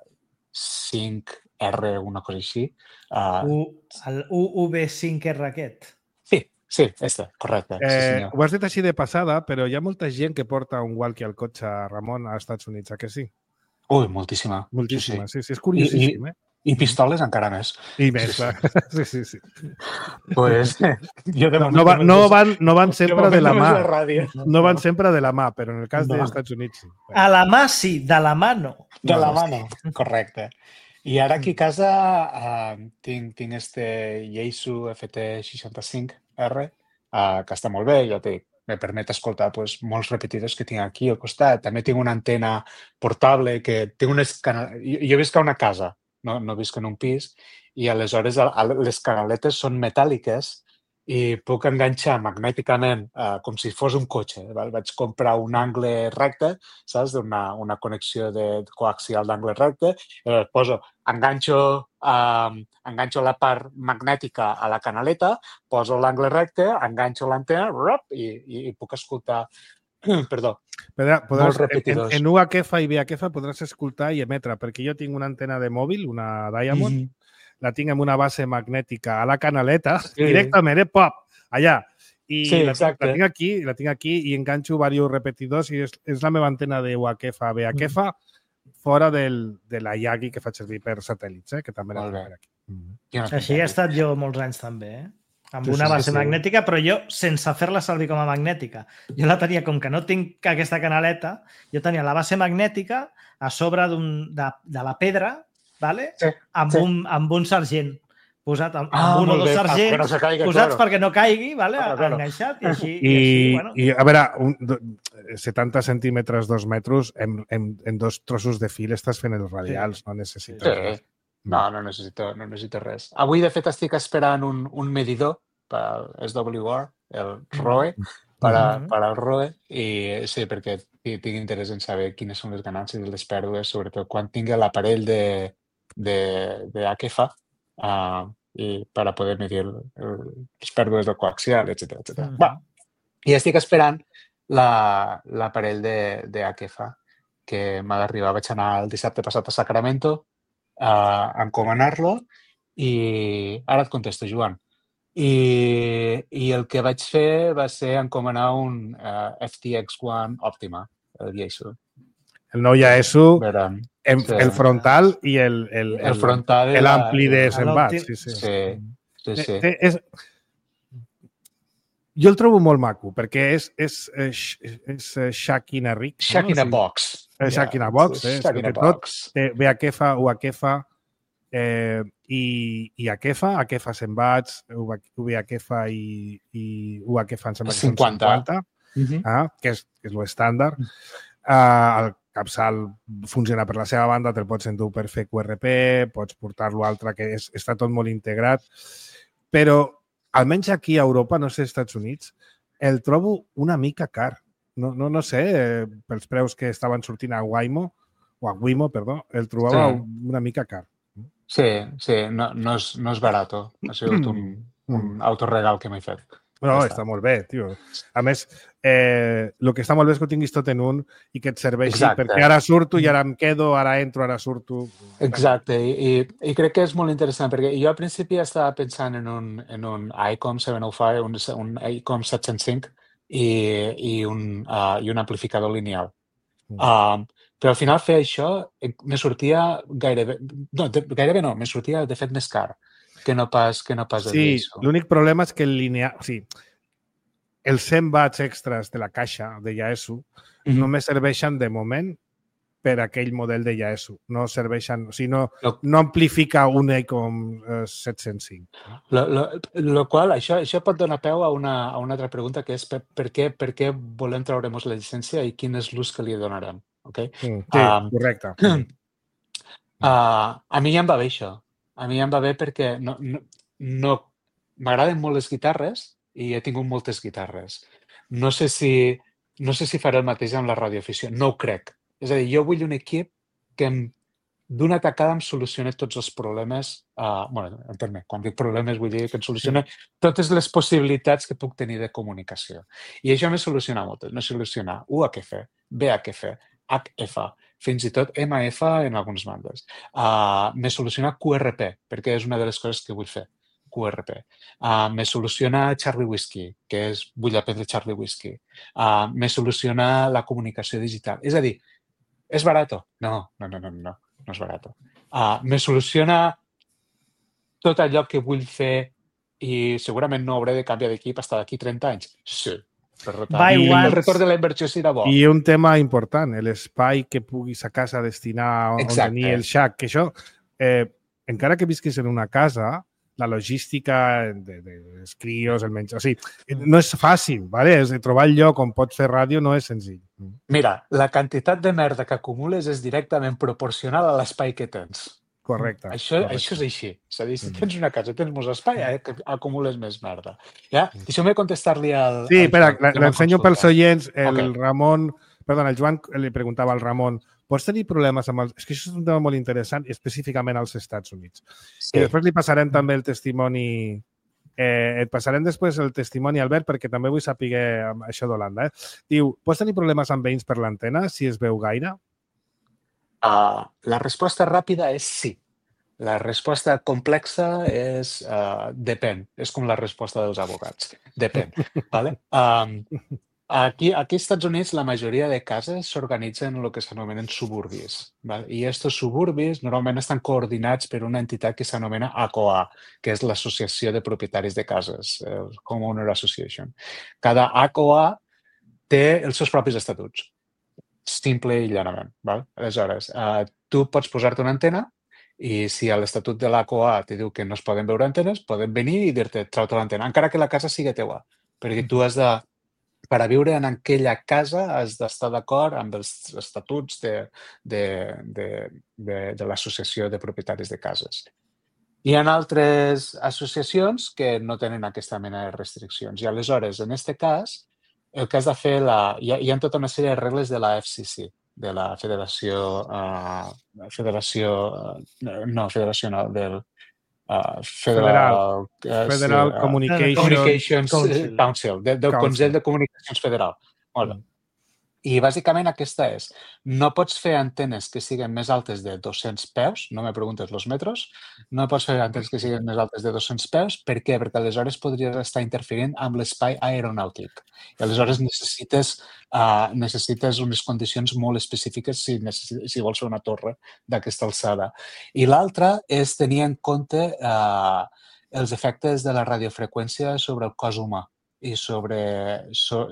cinc R, una cosa així. Uh, U, el U V cinc R aquest. sí, sí, este, correcte. Sí, Eh, senyor. ho has dit així de passada, però hi ha molta gent que porta un walkie al cotxe, Ramon, als Estats Units, a que sí? Ui, moltíssima. Moltíssima, Sí, sí, sí, és curiosíssim, eh? sí. I pistoles encara més. I més, Sí, clar. sí. Sí, sí, sí. Pues, jo de No, moment no, va, només no, us- van, no van de sempre de moment la només mà. la ràdio. No van sempre de la mà, però en el cas No. dels Estats Units sí. A la mà sí, de la mà no. De la No, mano, correcte. I ara aquí a casa uh, tinc, tinc este Yaesu F T seixanta-cinc R, uh, que està molt bé, ja té, me permet escoltar pues, molts repetidors que tinc aquí al costat. També tinc una antena portable que té unes canal... Jo, jo visc a una casa, no, no visc en un pis, i aleshores a- a- les canaletes són metàl·liques i puc enganxar magnèticament eh, com si fos un cotxe. Val? Vaig comprar un angle recte, saps? Una, una connexió de coaxial d'angle recte, i llavors poso, enganxo, eh, enganxo la part magnètica a la canaleta, poso l'angle recte, enganxo l'antena rop, i, i, i puc escoltar Perdó. Podràs, Molts repetidors. En, en U H F i V H F podràs escoltar i emetre, perquè jo tinc una antena de mòbil, una Diamond, mm-hmm. la tinc amb una base magnètica a la canaleta, sí. directament, eh, pop, allà. I sí, la, exacte. la tinc aquí, la tinc aquí i enganxo diversos repetidors i és, és la meva antena de U H F, V H F, mm. fora del, de la Yagi que faig servir per satèl·lits, eh, que també la tinc per aquí. Mm. Així he estat jo molts anys també, eh? Amb sí, una base sí, sí. magnètica, però jo sense fer-la servir com a magnètica. Jo la tenia, com que no tinc aquesta canaleta, jo tenia la base magnètica a sobre de, de la pedra, vale? sí, amb, sí. Un, amb un sergent posat, amb, ah, amb un o dos sergents, no caiga, posats claro. perquè no caigui, vale? Claro, claro. enganxat, i així... I, i, així, bueno. i a veure, un, setanta centímetres, dos metres, en, en, en dos trossos de fil estàs fent els radials, sí. no necessites sí. res. No, no necessito, no necessito res. Avui, de fet, estic esperant un, un medidor per S W R, el R O E, per, a, per al R O E, i sí, perquè tinc interès en saber quines són les ganàncies i les pèrdues, sobretot quan tingui l'aparell de, de, de H F, uh, i per a poder medir el, el, les pèrdues del coaxial, etcètera, etcètera. Uh -huh. Va. I estic esperant l'aparell la, de, de H F, que m'ha d'arribar. Vaig anar el dissabte passat a Sacramento a encomanar-lo i ara et contesto, Joan. I, i el que vaig fer va ser encomanar un uh, F T X One Optima, el Yaesu. El nou Yaesu, Verán, en, sí. el frontal i el, el, el, el frontal l'ampli de Sembat. Sí, sí. sí, sí, sí. Eh, és, jo el trobo molt maco, perquè és, és, és, és, és Shack in a Rig. Shack in a Box. És Shack in a Box. Eh? Shack in a Box. Té V H F, U H F, Eh, i, i H F, H F Sembats, V H F i, i U H F em sembla que són cinquanta, uh-huh. ah, que és, que és l'estàndard. Uh, el capçal funciona per la seva banda, te'l pots endur per fer Q R P, pots portar-lo altre, que és, està tot molt integrat. Però, almenys aquí a Europa, no sé, als Estats Units, el trobo una mica car. No, no, no sé, eh, pels preus que estaven sortint a Waymo, o a Wimo, perdó, el trobava sí. una mica car. Sí, sí, no, no, és, no és barato. Ha sigut un, un autoregal que m'he fet. No, ja està. està molt bé, tio. A més, eh, el que està molt bé és que ho tinguis tot en un i que et serveixi, Exacte. perquè ara surto i ara em quedo, ara entro, ara surto. Exacte, I, i, i crec que és molt interessant, perquè jo al principi estava pensant en un, en un ICOM set cents cinc, un, un ICOM set-cents cinc i, i, un, uh, i un amplificador lineal. Mm. Uh, Però al final fer això me sortia gairebé... No, de, gairebé no, me sortia de fet més car que no pas, que no pas el Sí, Yaesu. L'únic problema és que el lineal... O sigui, els cent watts extras de la caixa de Yaesu mm-hmm. només serveixen de moment per aquell model de Yaesu. No serveixen... O sigui, no, lo, no amplifica un ICOM eh, set-cents cinc. Lo, lo, lo qual, això, això pot donar peu a una, a una altra pregunta, que és per, per, què, per què volem treure'ns la llicència i quin és l'ús que li donarem. Okay? Mm, sí, um, correcte. Uh, a mi ja em va bé això. A mi ja em va bé perquè no, no, no m'agraden molt les guitarres i he tingut moltes guitarres. No sé si, no sé si faré el mateix amb la radioafició. No ho crec. És a dir, jo vull un equip que d'una tacada em solucioni tots els problemes. Uh, bueno, entén-me, quan dic problemes vull dir que em solucioni totes les possibilitats que puc tenir de comunicació. I això me soluciona moltes. Me soluciona U H F, V H F, H F, fins i tot M F en alguns bandes. Uh, me soluciona Q R P, perquè és una de les coses que vull fer, Q R P. Uh, me soluciona Charlie Whiskey, que és vull aprendre Charlie Whiskey. Uh, me soluciona la comunicació digital. És a dir, és barato? No, no, no, no, no, no és barato. Uh, me soluciona tot allò que vull fer i segurament no hauré de canviar d'equip fins d'aquí trenta anys? Sí. Per tant, I el retorn de la inversió serà bo. I un tema important, l'espai que puguis a casa destinar on Exacte. tenir el Shack, que això, eh, encara que visquis en una casa, la logística de, de, dels crios, el menjar... O sigui, no és fàcil, ¿vale? És de trobar el lloc on pots fer ràdio no és senzill. Mira, la quantitat de merda que acumules és directament proporcional a l'espai que tens. Correcte. Això, correcte. això és així. És a dir, si tens una casa, tens més espai, eh, que acumules més merda. Ja? Deixeu-me contestar-li al... Sí, espera, l'ensenyo pels oients. El Okay. Ramon... Perdona, el Joan li preguntava al Ramon, pots tenir problemes amb els... És que això és un tema molt interessant, específicament als Estats Units. Sí. I després li passarem també el testimoni Eh, et passarem després el testimoni, Albert, perquè també vull saber això d'Holanda. Eh? Diu, pots tenir problemes amb veïns per l'antena si es veu gaire? Uh, la resposta ràpida és sí. La resposta complexa és uh, depèn. És com la resposta dels advocats. Depèn. Vale? Um, aquí, aquí als Estats Units la majoria de cases s'organitzen en el que s'anomenen suburbis. Vale? I aquests suburbis normalment estan coordinats per una entitat que s'anomena A C O A, que és l'Associació de Propietaris de Cases, el Homeowner Association. Cada A C O A té els seus propis estatuts. Simple i llanament. Val? Aleshores, uh, tu pots posar-te una antena i si a l'Estatut de l'A C O A te diu que no es poden veure antenes, poden venir i dir-te, trau-te l'antena, encara que la casa sigui teua. Perquè tu has de, per a viure en aquella casa, has d'estar d'acord amb els estatuts de, de, de, de, de l'Associació de Propietaris de Cases. Hi ha altres associacions que no tenen aquesta mena de restriccions. I aleshores, en aquest cas, el que has de fer, la, hi, ha, hi ha tota una sèrie de regles de la F C C, de la Federació, uh, Federació, uh, no, Federació no, del uh, Federal, Federal, uh, Federal uh, Communications, Communications Council, Council, de, del Council. Consell de Comunicacions Federal. Molt bé. I bàsicament aquesta és, no pots fer antenes que siguin més altes de dos-cents peus, no me preguntes els metres, no pots fer antenes que siguin més altes de dos-cents peus, per què? Perquè aleshores podries estar interferint amb l'espai aeronàutic. I aleshores necessites, uh, necessites unes condicions molt específiques si, si vols fer una torre d'aquesta alçada. I l'altra és tenir en compte uh, els efectes de la radiofreqüència sobre el cos humà i sobre... So,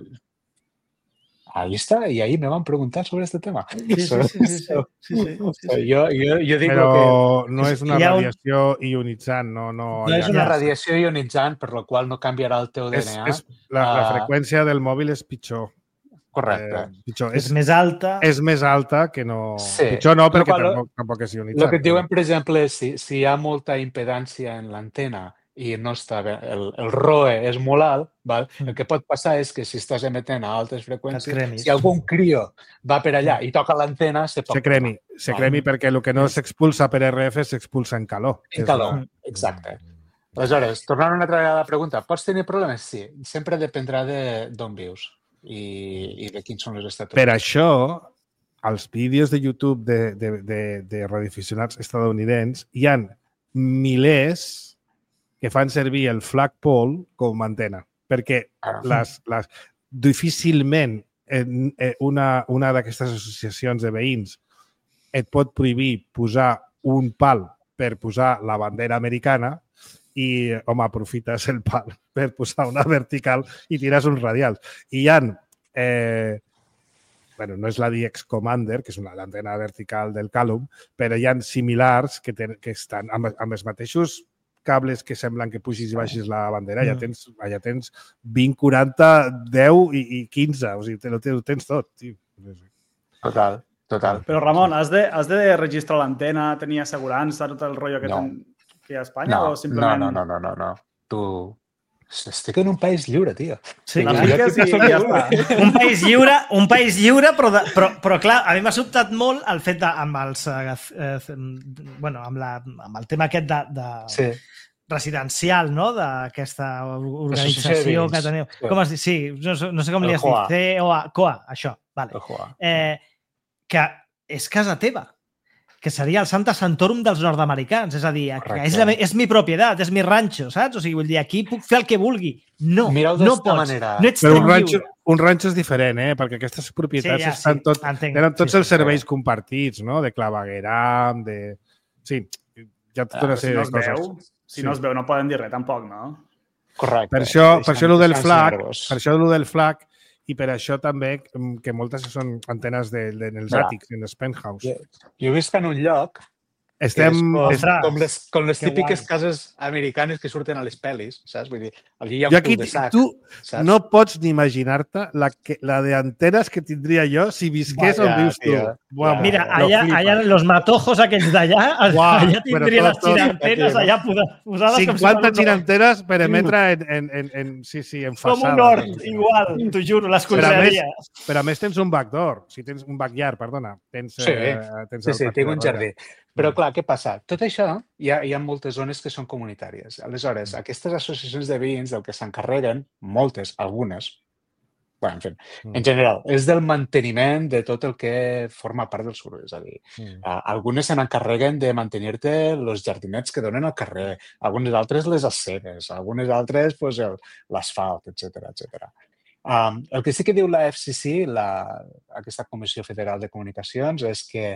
ahí está, y ahí me van a preguntar sobre este tema. Sí, sí, sí. sí, sí, sí, sí, sí, sí. Yo, yo, yo digo Però que... no és una Hi ha un- radiació ionitzant, no, no, No és és una Ja. radiació ionitzant, per la qual no canviarà el teu D és, N A. és, la, la Ah. freqüència del mòbil és pitjor. Correcte. Eh, pitjor. És És, més alta. és més alta que no... Sí. Pitjor no, Lo perquè qual- tampoc, tampoc és ionitzant. El que et diuen, per exemple, és si, si hi ha molta impedància en l'antena i no està bé, el, el R O E és molt alt, val? El que pot passar és que si estàs emetent a altes Et freqüències, cremis. si algun crio va per allà i toca l'antena, se pot Se cremi, se cremi perquè el que no s'expulsa per R F s'expulsa en calor. En calor, exacte. Aleshores, tornant una altra vegada a la pregunta, pots tenir problemes? Sí, sempre dependrà d'on vius i, i de quins són els estatuts. Per això, als vídeos de YouTube de, de, de, de radioaficionats estadounidencs hi han milers que fan servir el flagpole com a antena, perquè Ah. les, les, difícilment en, en una, una d'aquestes associacions de veïns et pot prohibir posar un pal per posar la bandera americana i, home, aprofites el pal per posar una vertical i tires uns radials. I hi ha, eh, bueno, no és la D X Commander, que és una antena vertical del Calum, però hi ha similars que, ten, que estan amb, amb els mateixos cables que semblen que pugis i baixis la bandera, allà tens, allà tens vint, quaranta, deu i, i quinze. O sigui, ho tens, tens tot, tio. Total, total. Però, Ramon, has de, has de registrar l'antena, tenir assegurança, tot el rotllo que, No. ten, que hi ha a Espanya? No, o simplement... no, no, no, no, no. Tu... Estic en un país lliure, tio. Sí, La clar. fiques i ja està. Un país lliure, un país lliure, però, de, però, però clar, a mi m'ha sobtat molt el fet de, amb els, eh, eh, bueno, amb, la, amb el tema aquest de, de Sí. residencial, no?, d'aquesta Associació de organització veïns. que teniu. Sí. Com es diu? Sí, no, sé- no sé com El li has C O A. dit. C O A, C O A, això, vale. Ojo, ah. Eh, que és casa teva, que seria el Santa Santorum dels nord-americans, és a dir, que Correcte. és, la, és mi propietat, és mi ranxo, saps? O sigui, vull dir, aquí puc fer el que vulgui. No, Mireu no d'esta pots. manera. No ets Però tan un ranxo, lliure. un ranxo és diferent, eh? Perquè aquestes propietats Sí, ja, estan sí, tot, entenc. tenen tots Sí, els sí, serveis compartits, no? De clavegueram, de... Sí, hi ha tota Ah, una però si sèrie no de es coses. veu, si Sí. no es veu, no poden dir res tampoc, no? Correcte. Per això, per això el del Deixant- flag, deixant-vos. per això el del flag i per això també mm, que moltes són antenes de, de, dels Mira. àtics, en els penthouse. Jo, jo visc en un lloc Estem... és com, Ostres, com les, com les que típiques guai. cases americanes que surten a les pel·lis, saps? Vull dir, allí hi ha Jo un aquí, cul-de-sac, tu saps? no pots ni imaginar-te la, que, la de antenes que tindria jo si visqués Vaya, on vius tu. tio. Vamos, Mira, lo allà, flipes. allà los matojos aquells d'allà, Uau, allà però tindria tot, les tot, girantenes tio. allà posa- posades com si cinquanta fos un- giranteres per emetre en, en, en, en, sí, sí, en com façana. un hort, igual, t'ho juro, les Però a més, conselleries. però a més tens un backdoor, si tens un backyard, perdona. Tens, Sí, eh, tens Sí, el sí, pati tinc de un darrere. jardí. Però, clar, què passa? Tot això hi ha, hi ha moltes zones que són comunitàries. Aleshores, aquestes associacions de veïns del que s'encarreguen, moltes, algunes, bueno, en fi, en general, és del manteniment de tot el que forma part del soroll. És a dir, mm. algunes se n'encarreguen de mantenir-te els jardinets que donen al carrer, algunes altres les aceres, algunes altres pues, l'asfalt, etcètera, etcètera. Um, el que sí que diu la F C C, la, aquesta Comissió Federal de Comunicacions, és que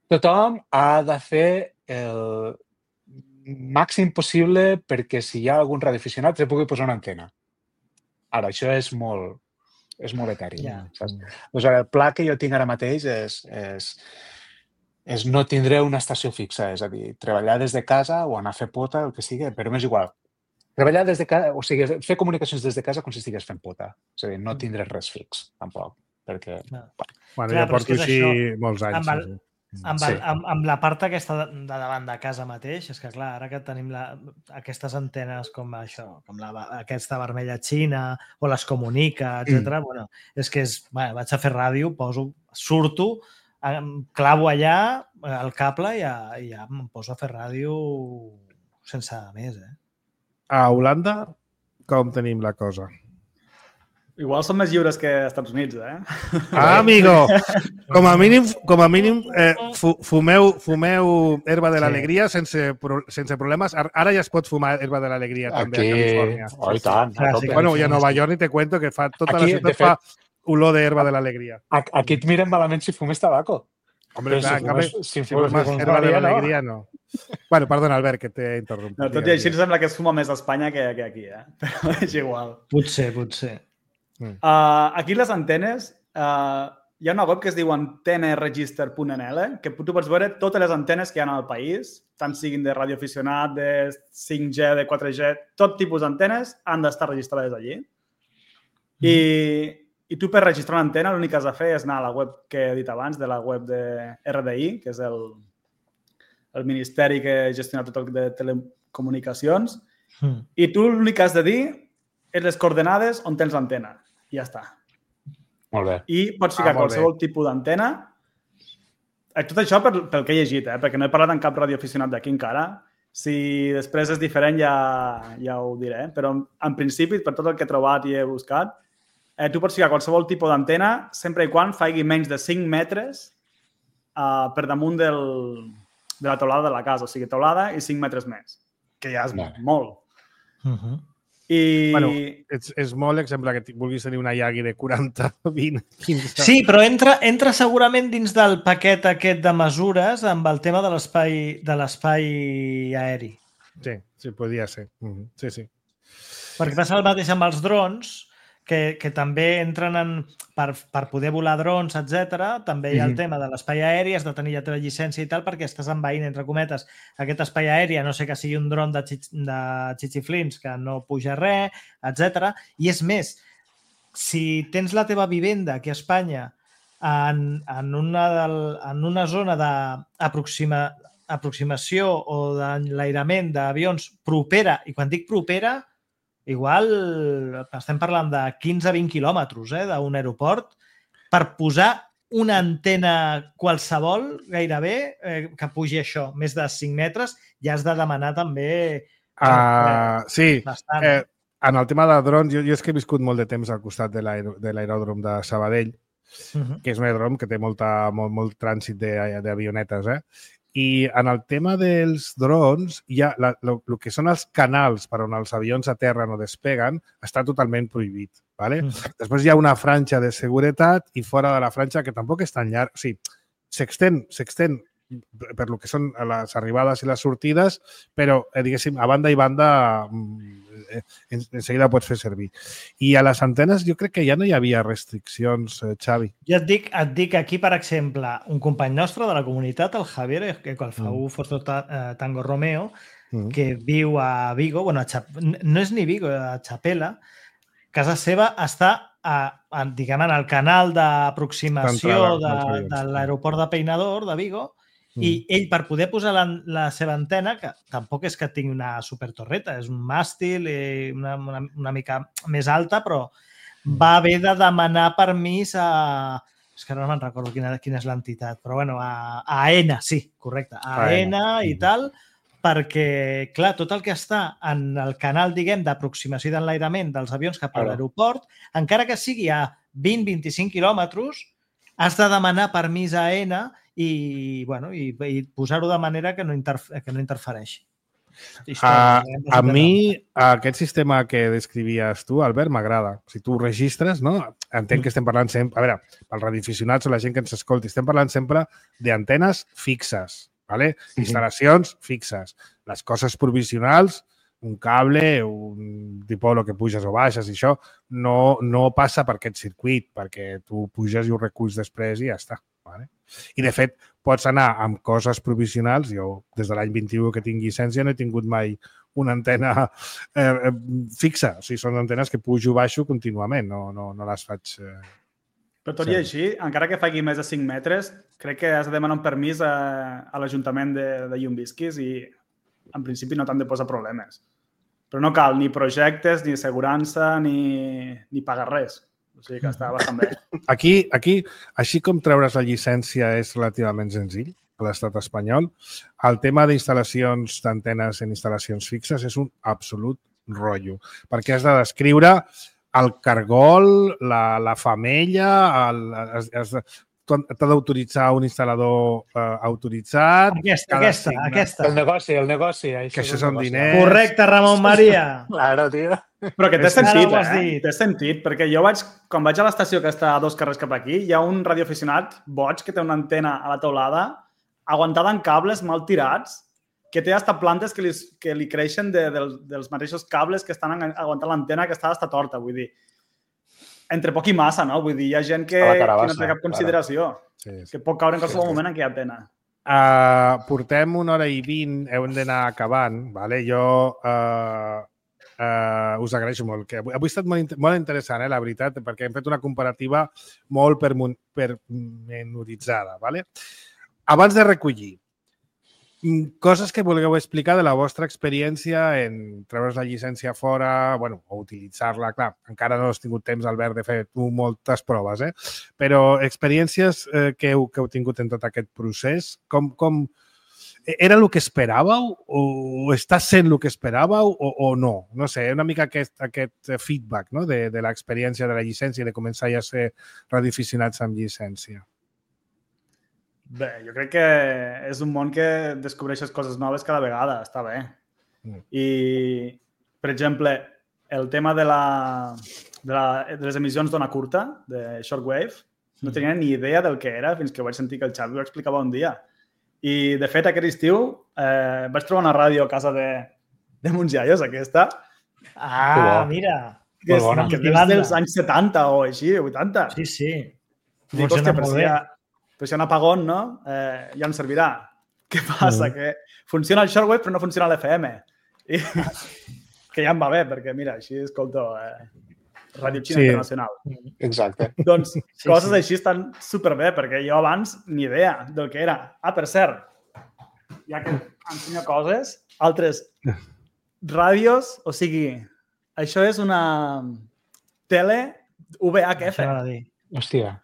tothom ha de fer el màxim possible perquè si hi ha algun radioaficionat se pugui posar una antena. Ara, això és molt, és molt eteri. Yeah. Saps? Doncs ara, el pla que jo tinc ara mateix és, és, és no tindré una estació fixa, és a dir, treballar des de casa o anar a fer pota, el que sigui, però m'és igual. Treballar des de casa, o sigui, fer comunicacions des de casa com si estigués fent pota. És a dir, no tindré res fix, tampoc, perquè... No. Bueno, Clar, jo porto així això, molts anys. Amb, el, amb, el, sí. amb, amb la part aquesta de, de davant de casa mateix, és que clar, ara que tenim la, aquestes antenes com això, com la, aquesta vermella xina o les comunica, etcètera. Mm. Bueno, és que és, bueno, vaig a fer ràdio, poso, surto, clavo allà el cable i ja, i ja em poso a fer ràdio sense més, eh? A Holanda, com tenim la cosa? Igual són més lliures que als Estats Units, eh? Ah, amigo! Com a mínim, com a mínim eh, fumeu, fumeu herba de l'alegria sí. sense, sense problemes. Ara ja es pot fumar herba de l'alegria també Aquí... a Califòrnia. Oh, i tant. Ah, sí, bueno, i a Nova York ni te cuento que fa, tota Aquí, la ciutat fet, fa olor d'herba de l'alegria. Aquí et miren malament si fumes tabaco. Hombre, clar, si fumes, si fumes, si fumes herba de l'alegria, no. no. Bueno, perdona, Albert, que t'he interromput. No, tot i així sembla que es fuma més a Espanya que, que aquí, eh? Però és igual. Potser, potser. Mm. Uh, aquí les antenes, uh, hi ha una web que es diu anteneregister punt N L, que tu pots veure totes les antenes que hi ha al país, tant siguin de radioaficionat, de cinc G, de quatre G, tot tipus d'antenes han d'estar registrades allí. Mm. I, I tu per registrar una antena l'únic que has de fer és anar a la web que he dit abans, de la web de R D I, que és el, el ministeri que gestiona tot el de telecomunicacions, mm. i tu l'únic que has de dir és les coordenades on tens l'antena. I ja està. Molt bé. I pots ficar ah, qualsevol bé. tipus d'antena. Tot això pel, pel que he llegit, eh? Perquè no he parlat amb cap radioaficionat d'aquí encara. Si després és diferent ja, ja ho diré. Però en principi, per tot el que he trobat i he buscat, eh, tu pots ficar qualsevol tipus d'antena sempre i quan faci menys de cinc metres uh, per damunt del, de la teulada de la casa. O sigui, teulada i cinc metres més. Que ja és no. molt. Uh-huh. I... Bueno, és, és molt exemple que vulguis tenir una Yagi de quaranta, vint, quinze... Sí, però entra, entra segurament dins del paquet aquest de mesures amb el tema de l'espai de l'espai aeri. Sí, sí, podria ser. Mm-hmm. Sí, sí. Perquè passa el mateix amb els drons, que, que també entren en... Per, per poder volar drons, etcètera. També hi ha el mm-hmm. tema de l'espai aeri, has de tenir la teva llicència i tal, perquè estàs envaint, entre cometes, aquest espai aeri, a no sé que sigui un dron de, xix, de xixiflins que no puja res, etcètera. I és més, si tens la teva vivenda aquí a Espanya en, en, una, del, en una zona d'aproxima, aproximació o d'enlairament d'avions propera, i quan dic propera, igual estem parlant de quinze a vint quilòmetres eh, d'un aeroport per posar una antena qualsevol gairebé eh, que pugi això, més de cinc metres, ja has de demanar també... Uh, eh, sí, bastant, eh, en el tema de drons, jo, jo és que he viscut molt de temps al costat de l'aeròdrom de Sabadell, uh-huh. que és un aeròdrom que té molta, molt, molt trànsit d'avionetes, eh? I en el tema dels drons, hi ha la, lo, lo que són els canals per on els avions aterren o despeguen està totalment prohibit. ¿Vale? Mm. Després hi ha una franja de seguretat i fora de la franja que tampoc és tan llarg. O sigui, s'extén, s'extén per lo que són les arribades i les sortides, però, eh, diguéssim, a banda i banda eh, en, en seguida pots fer servir. I a les antenes jo crec que ja no hi havia restriccions, eh, Xavi. Jo et dic, et dic aquí, per exemple, un company nostre de la comunitat, el Javier, que quan fa mm. Forza Tango Romeo, mm. que viu a Vigo, bueno, a Chap... no és ni Vigo, a Chapela, casa seva està a, a, diguem, en el canal d'aproximació de, de l'aeroport de Peinador de Vigo, i ell, per poder posar la, la seva antena, que tampoc és que tingui una supertorreta, és un màstil, una, una, una mica més alta, però va haver de demanar permís a, és que no me'n recordo quina, quina és l'entitat, però bueno, a, a AENA, sí, correcte, a AENA i tal, perquè, clar, tot el que està en el canal, diguem, d'aproximació i d'enlairament dels avions cap a l'aeroport, encara que sigui a vint a vint-i-cinc quilòmetres, has de demanar permís a AENA i, bueno, i, i posar-ho de manera que no, interf que no interfereixi. A, a mi, aquest sistema que descrivies tu, Albert, m'agrada. Si tu registres, no? Entenc que estem parlant sempre... A veure, pels radioaficionats o la gent que ens escolti, estem parlant sempre d'antenes fixes, ¿vale? Instal·lacions fixes. Les coses provisionals, un cable, un tipus que puges o baixes i això, no, no passa per aquest circuit, perquè tu puges i ho reculls després i ja està. Vale? I, de fet, pots anar amb coses provisionals. Jo, des de l'any vint-i-u que tinc llicència, no he tingut mai una antena eh, fixa. O sigui, són antenes que pujo i baixo contínuament, no, no, no les faig... Eh, Però tot i així, encara que faci més de cinc metres, crec que has de demanar un permís a, a l'Ajuntament de, de Llumvisquis i, en principi, no t'han de posar problemes. Però no cal ni projectes, ni assegurança, ni, ni pagar res. O sigui que està bastant bé. Aquí, aquí, així com treure's la llicència és relativament senzill a l'estat espanyol, el tema d'instal·lacions d'antenes en instal·lacions fixes és un absolut rotllo, perquè has de descriure el cargol, la, la femella, el, has, has, t'ha d'autoritzar un instal·lador eh, autoritzat. Aquesta, aquesta, signa. aquesta. El negoci, el negoci. Que això són diners. Correcte, Ramon Maria. Claro, tio. Però que té sentit, eh? Té sentit, perquè jo vaig, quan vaig a l'estació que està a dos carrers cap aquí, hi ha un radioaficionat boig que té una antena a la teulada aguantada en cables mal tirats, que té hasta plantes que li, que li creixen de, de, dels mateixos cables que estan aguantant l'antena que està hasta torta, vull dir. Entre poc i massa, no? Vull dir, hi ha gent que, carabassa, que no té cap consideració, sí, sí. Que pot caure en qualsevol sí, sí. moment en què hi ha antena. Uh, portem una hora i vint, hem d'anar acabant, vale? Jo uh, uh, us agraeixo molt. Que avui ha estat molt, molt interessant, eh, la veritat, perquè hem fet una comparativa molt pormenoritzada. Vale? Abans de recollir, coses que vulgueu explicar de la vostra experiència en treure's la llicència fora, bueno, o utilitzar-la, clar, encara no has tingut temps, Albert, de fer tu moltes proves, eh? Però experiències eh, que, heu, que heu tingut en tot aquest procés, com, com era el que esperàveu o està sent el que esperàveu o, o no? No sé, una mica aquest, aquest feedback, no? de, de l'experiència de la llicència i de començar ja a ser radioaficionats amb llicència. Bé, jo crec que és un món que descobreixes coses noves cada vegada, està bé. Mm. I, per exemple, el tema de, la, de, la, de les emissions d'ona curta, de shortwave, no tenia ni idea del que era fins que vaig sentir que el Xavi ho explicava un dia. I, de fet, aquest estiu eh, vaig trobar una ràdio a casa de, de Mons Iaios, aquesta. Ah, mira! Que és, que és dels anys setanta o així, vuitanta. Sí, sí. Dic, hòstia, però si hi ha, però si hi ha un apagón, no? Eh, ja ens servirà. Què passa? Mm. Que funciona el shortwave però no funciona l'F M. I, que ja em va bé, perquè mira, així escolto eh, Ràdio Xina sí. Internacional. Exacte. Doncs sí, coses sí. així estan superbé, perquè jo abans ni idea del que era. Ah, per cert, ja que ensenyo coses, altres ràdios, o sigui, això és una tele V H F. Hòstia.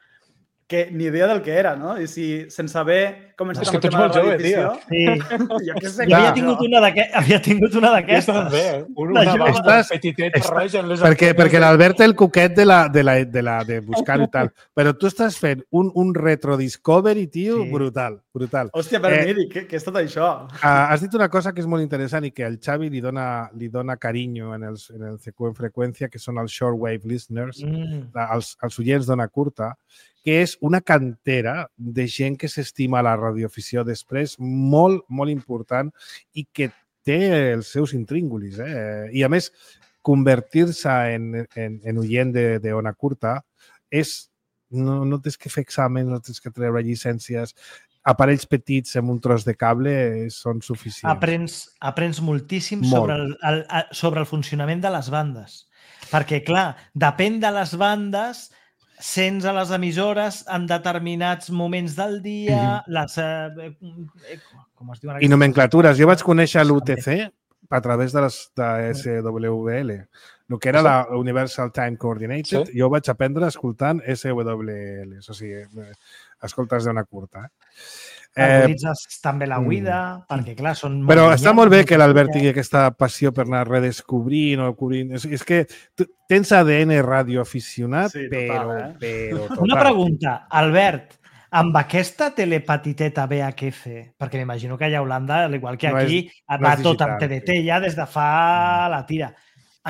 Que ni idea del que era, no? I si sense haver començat amb el tema de la radioafició... Sí. Jo què sé. Jo havia tingut una d'aquestes. Havia tingut una d'aquestes. També, una una petiteta roja en les... Perquè, perquè l'Albert té el cuquet de, la, de, la, de, la, de buscar-ho i tal. Però tu estàs fent un, un retro discovery, tio, sí. brutal, brutal. Hòstia, però eh, miri, què, què és tot això? Has dit una cosa que és molt interessant i que el Xavi li dona, li dona carinyo en, els, en el C Q en freqüència, que són els shortwave listeners, mm. els, els oients d'ona curta, que és una cantera de gent que s'estima la radioafició després, molt, molt important i que té els seus intríngulis. Eh? I, a més, convertir-se en, en, en oient d'ona curta és... No, no tens que fer exàmens, no tens que treure llicències. Aparells petits amb un tros de cable són suficients. Aprens, aprens moltíssim molt. sobre, el, el, sobre el funcionament de les bandes. Perquè, clar, depèn de les bandes... sents a les emissores en determinats moments del dia, mm-hmm. les... Eh, com es diuen? I nomenclatures. Jo vaig conèixer l'U T C a través de les de S W L. el que era la Universal Time Coordinated, sí. Jo ho vaig aprendre escoltant S W L, o sigui, escoltes d'ona curta. Eh, Utilitzes també la Wida, mm. perquè clar, són... Però està molt bé que l'Albert tingui aquesta passió per anar redescobrint o cobrint. És, és que tens A D N radioaficionat, sí, però, total, eh? però total. Una pregunta, Albert, amb aquesta telepatiteta V H F, perquè m'imagino que allà a Holanda, al igual que aquí, no és, no va tot amb T D T ja des de fa la tira.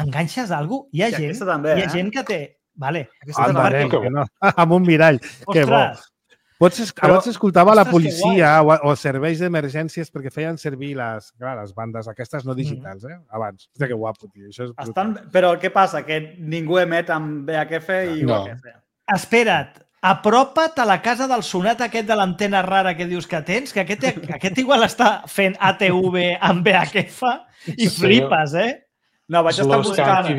Enganxes alguna cosa? Hi ha, gent, també, hi ha eh? gent que té... Vale. Aquesta també, que no. Amb un mirall. Ostres, que bo. Pots, però, abans escoltava la policia o, o serveis d'emergències perquè feien servir les, clar, les bandes aquestes no digitals, eh? Abans. Hòstia, que guapo, tio. Això és Estan, però què passa? Que ningú emet amb V H F i no. U H F. Espera't, apropa't a la casa del sonat aquest de l'antena rara que dius que tens, que aquest, aquest igual està fent A T V amb V H F i flipes, eh? No, vaig estar buscant...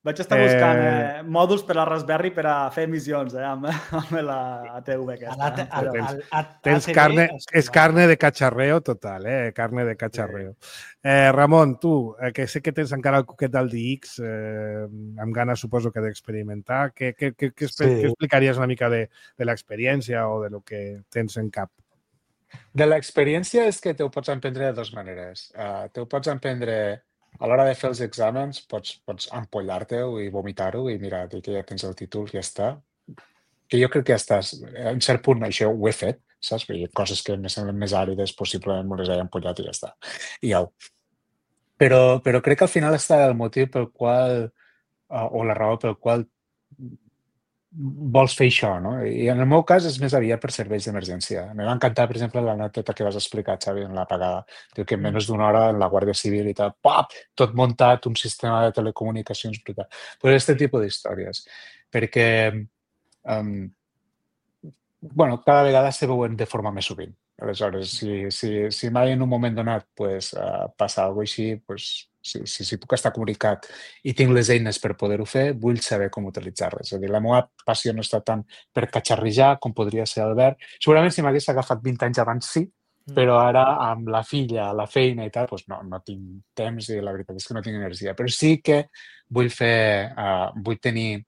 Vaig estar buscant eh, eh, mòduls per a Raspberry per a fer emissions eh, amb, amb la A T V aquesta. A, a, a, a, tens carne, és carne de cacharreo total, eh? Carne de cacharreo. Sí. Eh, Ramon, tu, eh, que sé que tens encara el cuquet del D X, eh, amb ganes suposo que d'experimentar, què, què, què, què, sí. què explicaries una mica de, de l'experiència o de lo que tens en cap? De l'experiència és que te ho pots emprendre de dues maneres. Uh, te ho pots emprendre... A l'hora de fer els exàmens pots, pots ampollar-te-ho i vomitar-ho i mira, que ja tens el títol, ja està. Que jo crec que ja estàs... A un cert punt això ho he fet, saps? Perquè hi ha coses que me semblen més àrides, possiblement me les he ampollat i ja està. I au. Però, però crec que al final està el motiu pel qual, o la raó pel qual vols fer això, no? I en el meu cas és més aviat per serveis d'emergència. Em va encantar, per exemple, l'anècdota que vas explicar, Xavi, en l'apagada. Diu que en menys d'una hora en la Guàrdia Civil i tal, pap, tot muntat, un sistema de telecomunicacions brutal. Pues este tipus d'històries. Perquè, um, bueno, cada vegada se veuen de forma més sovint. Aleshores, si, si, si mai en un moment donat pues, uh, passa alguna cosa així, pues, si, si, si puc estar comunicat i tinc les eines per poder-ho fer, vull saber com utilitzar-les. És a dir, la meva passió no està tant per catxarrijar com podria ser Albert. Segurament si m'hagués agafat vint anys abans sí, però ara amb la filla, la feina i tal, pues no, no tinc temps i la veritat és que no tinc energia. Però sí que vull fer, uh, vull tenir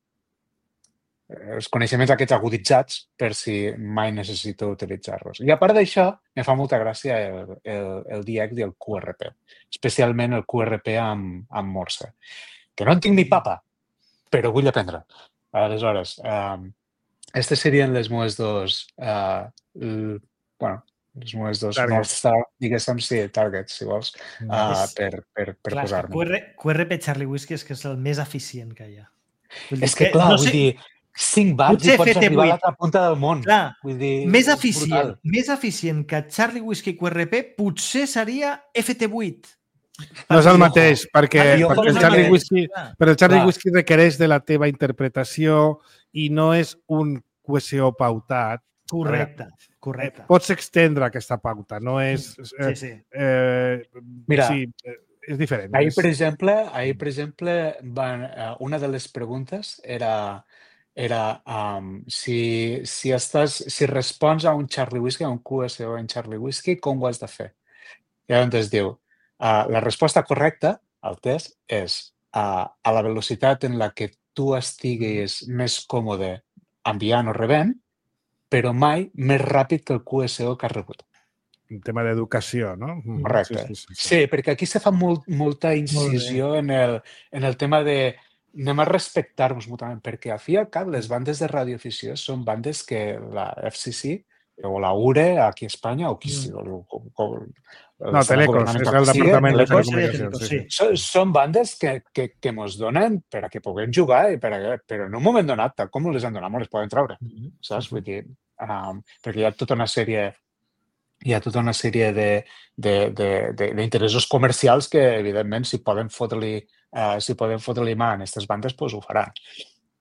els coneixements aquests aguditzats per si mai necessito utilitzar-los. I a part d'això, me fa molta gràcia el, el, el D X i el Q R P, especialment el Q R P amb, amb Morse, que no en tinc ni papa, però vull aprendre. Aleshores, um, aquestes serien les meves dos, uh, l, bueno, les meves dos North Star, diguéssim, sí, targets, si vols, uh, per, per, per posar-me. Q R P Charlie Whiskey és que és el més eficient que hi ha. És que, clar, no vull sé... dir, cinc bars i pots arribar a l'altra punta del món. Clar, vull dir, més eficient, més eficient que Charlie Whiskey Q R P potser seria F T vuit. No és el mateix, perquè, perquè el Charlie Whiskey, però el Charlie Whiskey requereix de la teva interpretació i no és un Q S O pautat. Correcte, correcte. Pots extendre aquesta pauta, no és... Sí, sí. Eh, Mira, sí, és diferent. Ahir, per exemple, ahir, per exemple van, una de les preguntes era... era um, si, si, estàs, si respons a un Charlie Whiskey, a un Q S O en Charlie Whiskey, com ho has de fer? I llavors diu, uh, la resposta correcta al test és uh, a la velocitat en la que tu estiguis més còmode enviant o rebent, però mai més ràpid que el Q S O que has rebut. Un tema d'educació, no? Correcte. Sí, sí, sí, sí. Sí, perquè aquí se fa molt, molta incisió en el, en el tema de anem a respectar-nos mútuament, perquè al fi i al cap les bandes de radioafició són bandes que la F C C o la U R E aquí a Espanya o qui sigui. Mm. No, Telecos, és el Departament de Telecomunicacions. Sí. Són, són bandes que, que, que mos donen per a que puguem jugar, i per a, però en un moment donat, tal com les han donat, les poden treure. Mm-hmm. Saps? Vull dir, um, perquè hi ha tota una sèrie hi ha tota una sèrie d'interessos comercials que, evidentment, si poden fotre-li Uh, si podem fotre-li mà en aquestes bandes, doncs ho faran.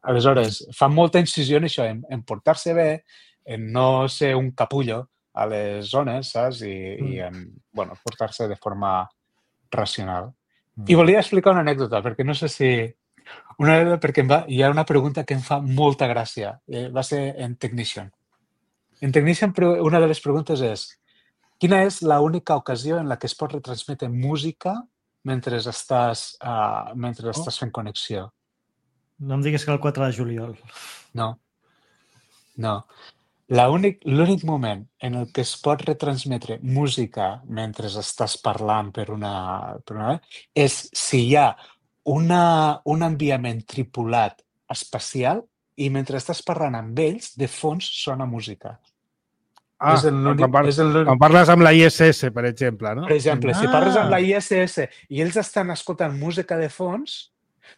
Aleshores, fan molta incisió en això, en, en portar-se bé, en no ser un capullo a les zones, saps? I, mm. i en bueno, portar-se de forma racional. Mm. I volia explicar una anècdota, perquè no sé si... Una anècdota perquè em va, hi ha una pregunta que em fa molta gràcia. Eh, va ser en Technician. En Technician, una de les preguntes és quina és l'única ocasió en la que es pot retransmetre música mentre estàs, uh, mentre estàs fent connexió. No em diguis que el quatre de juliol. No. No. L'únic moment en el que es pot retransmetre música mentre estàs parlant per una, per una és si hi ha una, un enviament tripulat espacial i mentre estàs parlant amb ells, de fons sona música. Ah, és quan, par és quan parles amb la I S S, per exemple, no? Per exemple, ah. si parles amb la I S S i ells estan escoltant música de fons,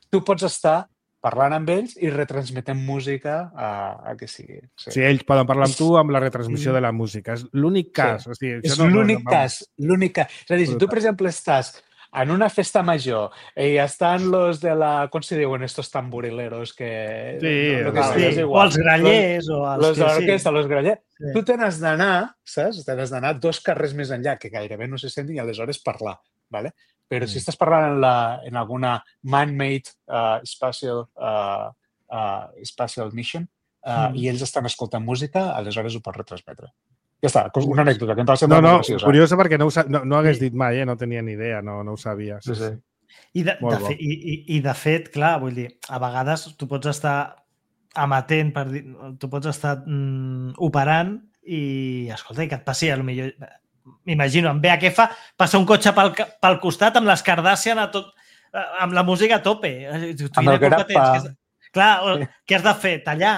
tu pots estar parlant amb ells i retransmetent música a, a que sigui. Sí. sí, ells poden parlar amb tu amb la retransmissió de la música. És l'únic cas. Sí. O sigui, és no, l'únic no, no, cas. L'únic cas. És a dir, si tu, per exemple, estàs en una festa major i estan los de la... Com se diuen estos tamborileros que... Sí, lo que sí. sigui, o els grallers. Los, o els los de l'orquestra, sí. Los grallers. Sí. Tu te n'has d'anar, saps? Te n'has d'anar dos carrers més enllà, que gairebé no se sent i aleshores parlar. ¿Vale? Però mm. si estàs parlant en, la, en alguna man-made uh, spatial, uh, uh, spatial mission uh, mm. i ells estan escoltant música, aleshores ho pots retransmetre. Ja està, una anècdota que em va semblar no, no, molt graciosa. Curiosa perquè no, no, no hagués dit mai, eh? No tenia ni idea, no, no ho sabia. Sí, sí. I de, de fet, i, i, I de fet, clar, vull dir, a vegades tu pots estar amatent, per dir, tu pots estar mm, operant i, escolta, i que et passi, potser m'imagino, en V H F passa un cotxe pel, pel costat amb les Kardashian a tot, amb la música a tope. Tu, amb el grappa. Que has, clar, sí. Què has de fer? Tallar?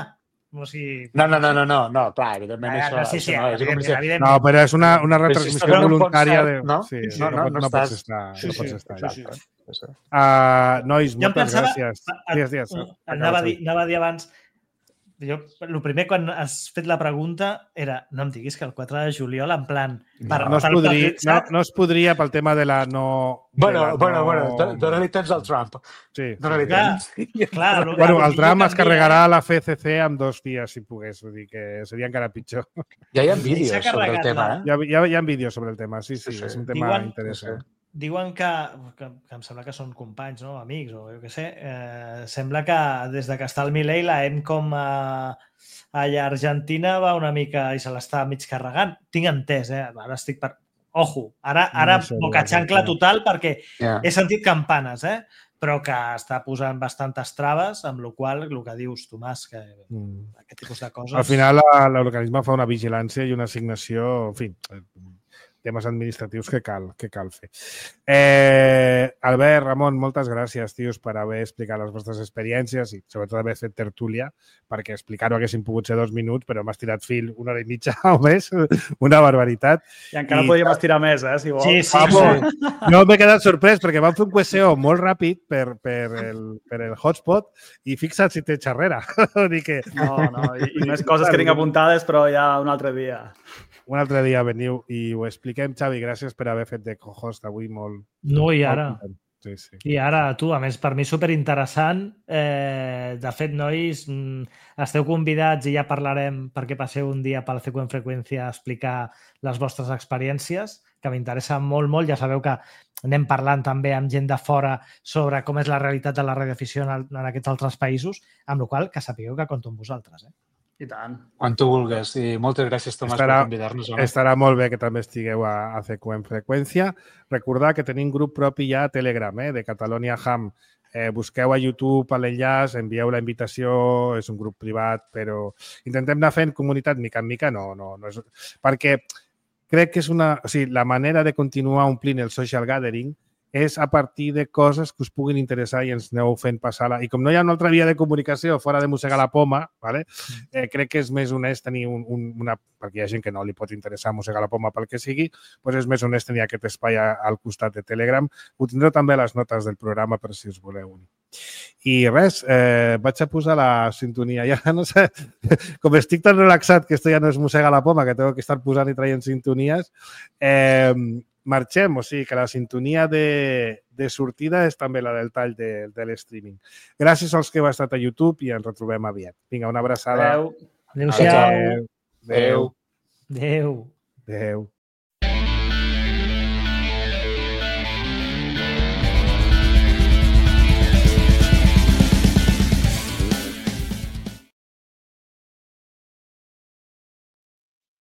O sigui... No, no, no, no, no, no, clar, evidentment ah, això... No, sí, sí, no, evidentment, evidentment. No, però és una, una retransmissió si voluntària de... No, sí, sí, no, no, no, no, no pots estar. Sí, no pots sí, estar. sí, sí. Sí. Uh, nois, jo moltes pensava, gràcies. A, Dies, dies. Anava, a dir, anava a dir abans... Jo, el primer, quan has fet la pregunta, era no em diguis que el quatre de juliol, en plan... Per, no, es podria, no, no es podria pel tema de la no... Bueno, la bueno, no... bueno, dona-li temps al Trump. Sí. Dona-li temps. Clar, clar, bueno, el Trump es carregarà la F C C en dos dies, si pogués. Vull dir que seria encara pitjor. Ja hi ha vídeos sobre el tema, eh? Hi ha, hi ha, hi ha vídeos sobre el tema, sí, sí, sí, sí. És un tema Diuen, interessant. Sí, sí. Diuen que, que, que em sembla que són companys, no? Amics, o jo què sé, eh, sembla que des de que està el Milei la EMCOM a, allà a Argentina va una mica i se l'està mig carregant. Tinc entès, eh? Ara estic per... Ojo, ara, ara no sé, boca xancla total perquè yeah. he sentit campanes, eh? Però que està posant bastantes traves, amb la qual cosa, el que dius, Tomàs, que mm. aquest tipus de coses... Al final, l'organisme fa una vigilància i una assignació, en fi, temes administratius que cal, que cal fer. Eh, Albert, Ramon, moltes gràcies, tios, per haver explicat les vostres experiències i sobretot haver fet tertúlia, perquè explicar-ho haguessin pogut ser dos minuts, però m'has tirat fil una hora i mitja o més, una barbaritat. I encara I... podríem estirar més, eh, si vols. Sí, sí, Vamos, sí. No m'he quedat sorprès perquè vam fer un Q S O molt ràpid per, per, el, per el hotspot i fixa't si té xarrera. que... No, no, i, i més coses que tinc apuntades, però ja un altre dia. Un altre dia veniu i ho expliquem, Xavi. Gràcies per haver fet de co-host avui molt... No, i ara. Molt sí, sí. I ara, tu, a més, per mi superinteressant. Eh, de fet, nois, esteu convidats i ja parlarem perquè passeu un dia pel C Q en Freqüència a explicar les vostres experiències, que m'interessa molt, molt. Ja sabeu que anem parlant també amb gent de fora sobre com és la realitat de la radioafició en, en aquests altres països, amb la qual cosa que sapigueu que compto amb vosaltres, eh? I tant. Quan tu vulguis. I moltes gràcies, Tomàs, estarà, per convidar-nos. Home. Estarà molt bé que també estigueu a, a C Q en Freqüència. Recordar que tenim grup propi ja a Telegram, eh, de Catalonia Ham. Eh, busqueu a YouTube l'enllaç, envieu la invitació, és un grup privat, però intentem anar fent comunitat mica en mica, no, no, no és... perquè crec que és una... O sigui, la manera de continuar omplint el social gathering és a partir de coses que us puguin interessar i ens aneu fent passar-la. I com no hi ha una altra via de comunicació fora de mossegar la poma, ¿vale? eh, crec que és més honest tenir un, un, una... perquè hi ha gent que no li pot interessar mossegar la poma pel que sigui, doncs és més honest tenir aquest espai a, al costat de Telegram. Ho tindreu també a les notes del programa per si us voleu unir. I res, eh, vaig a posar la sintonia. Ja no sé, com estic tan relaxat que esto ja no és mossegar la poma, que tengo que estar posant i traient sintonies, eh, marxem, o sigui que la sintonia de, de sortida és també la del tall de, de l'streaming. Gràcies als que heu estat a YouTube i ens retrobem aviat. Vinga, una abraçada. Adéu. Adéu-siau. Adéu. Adéu. Adéu.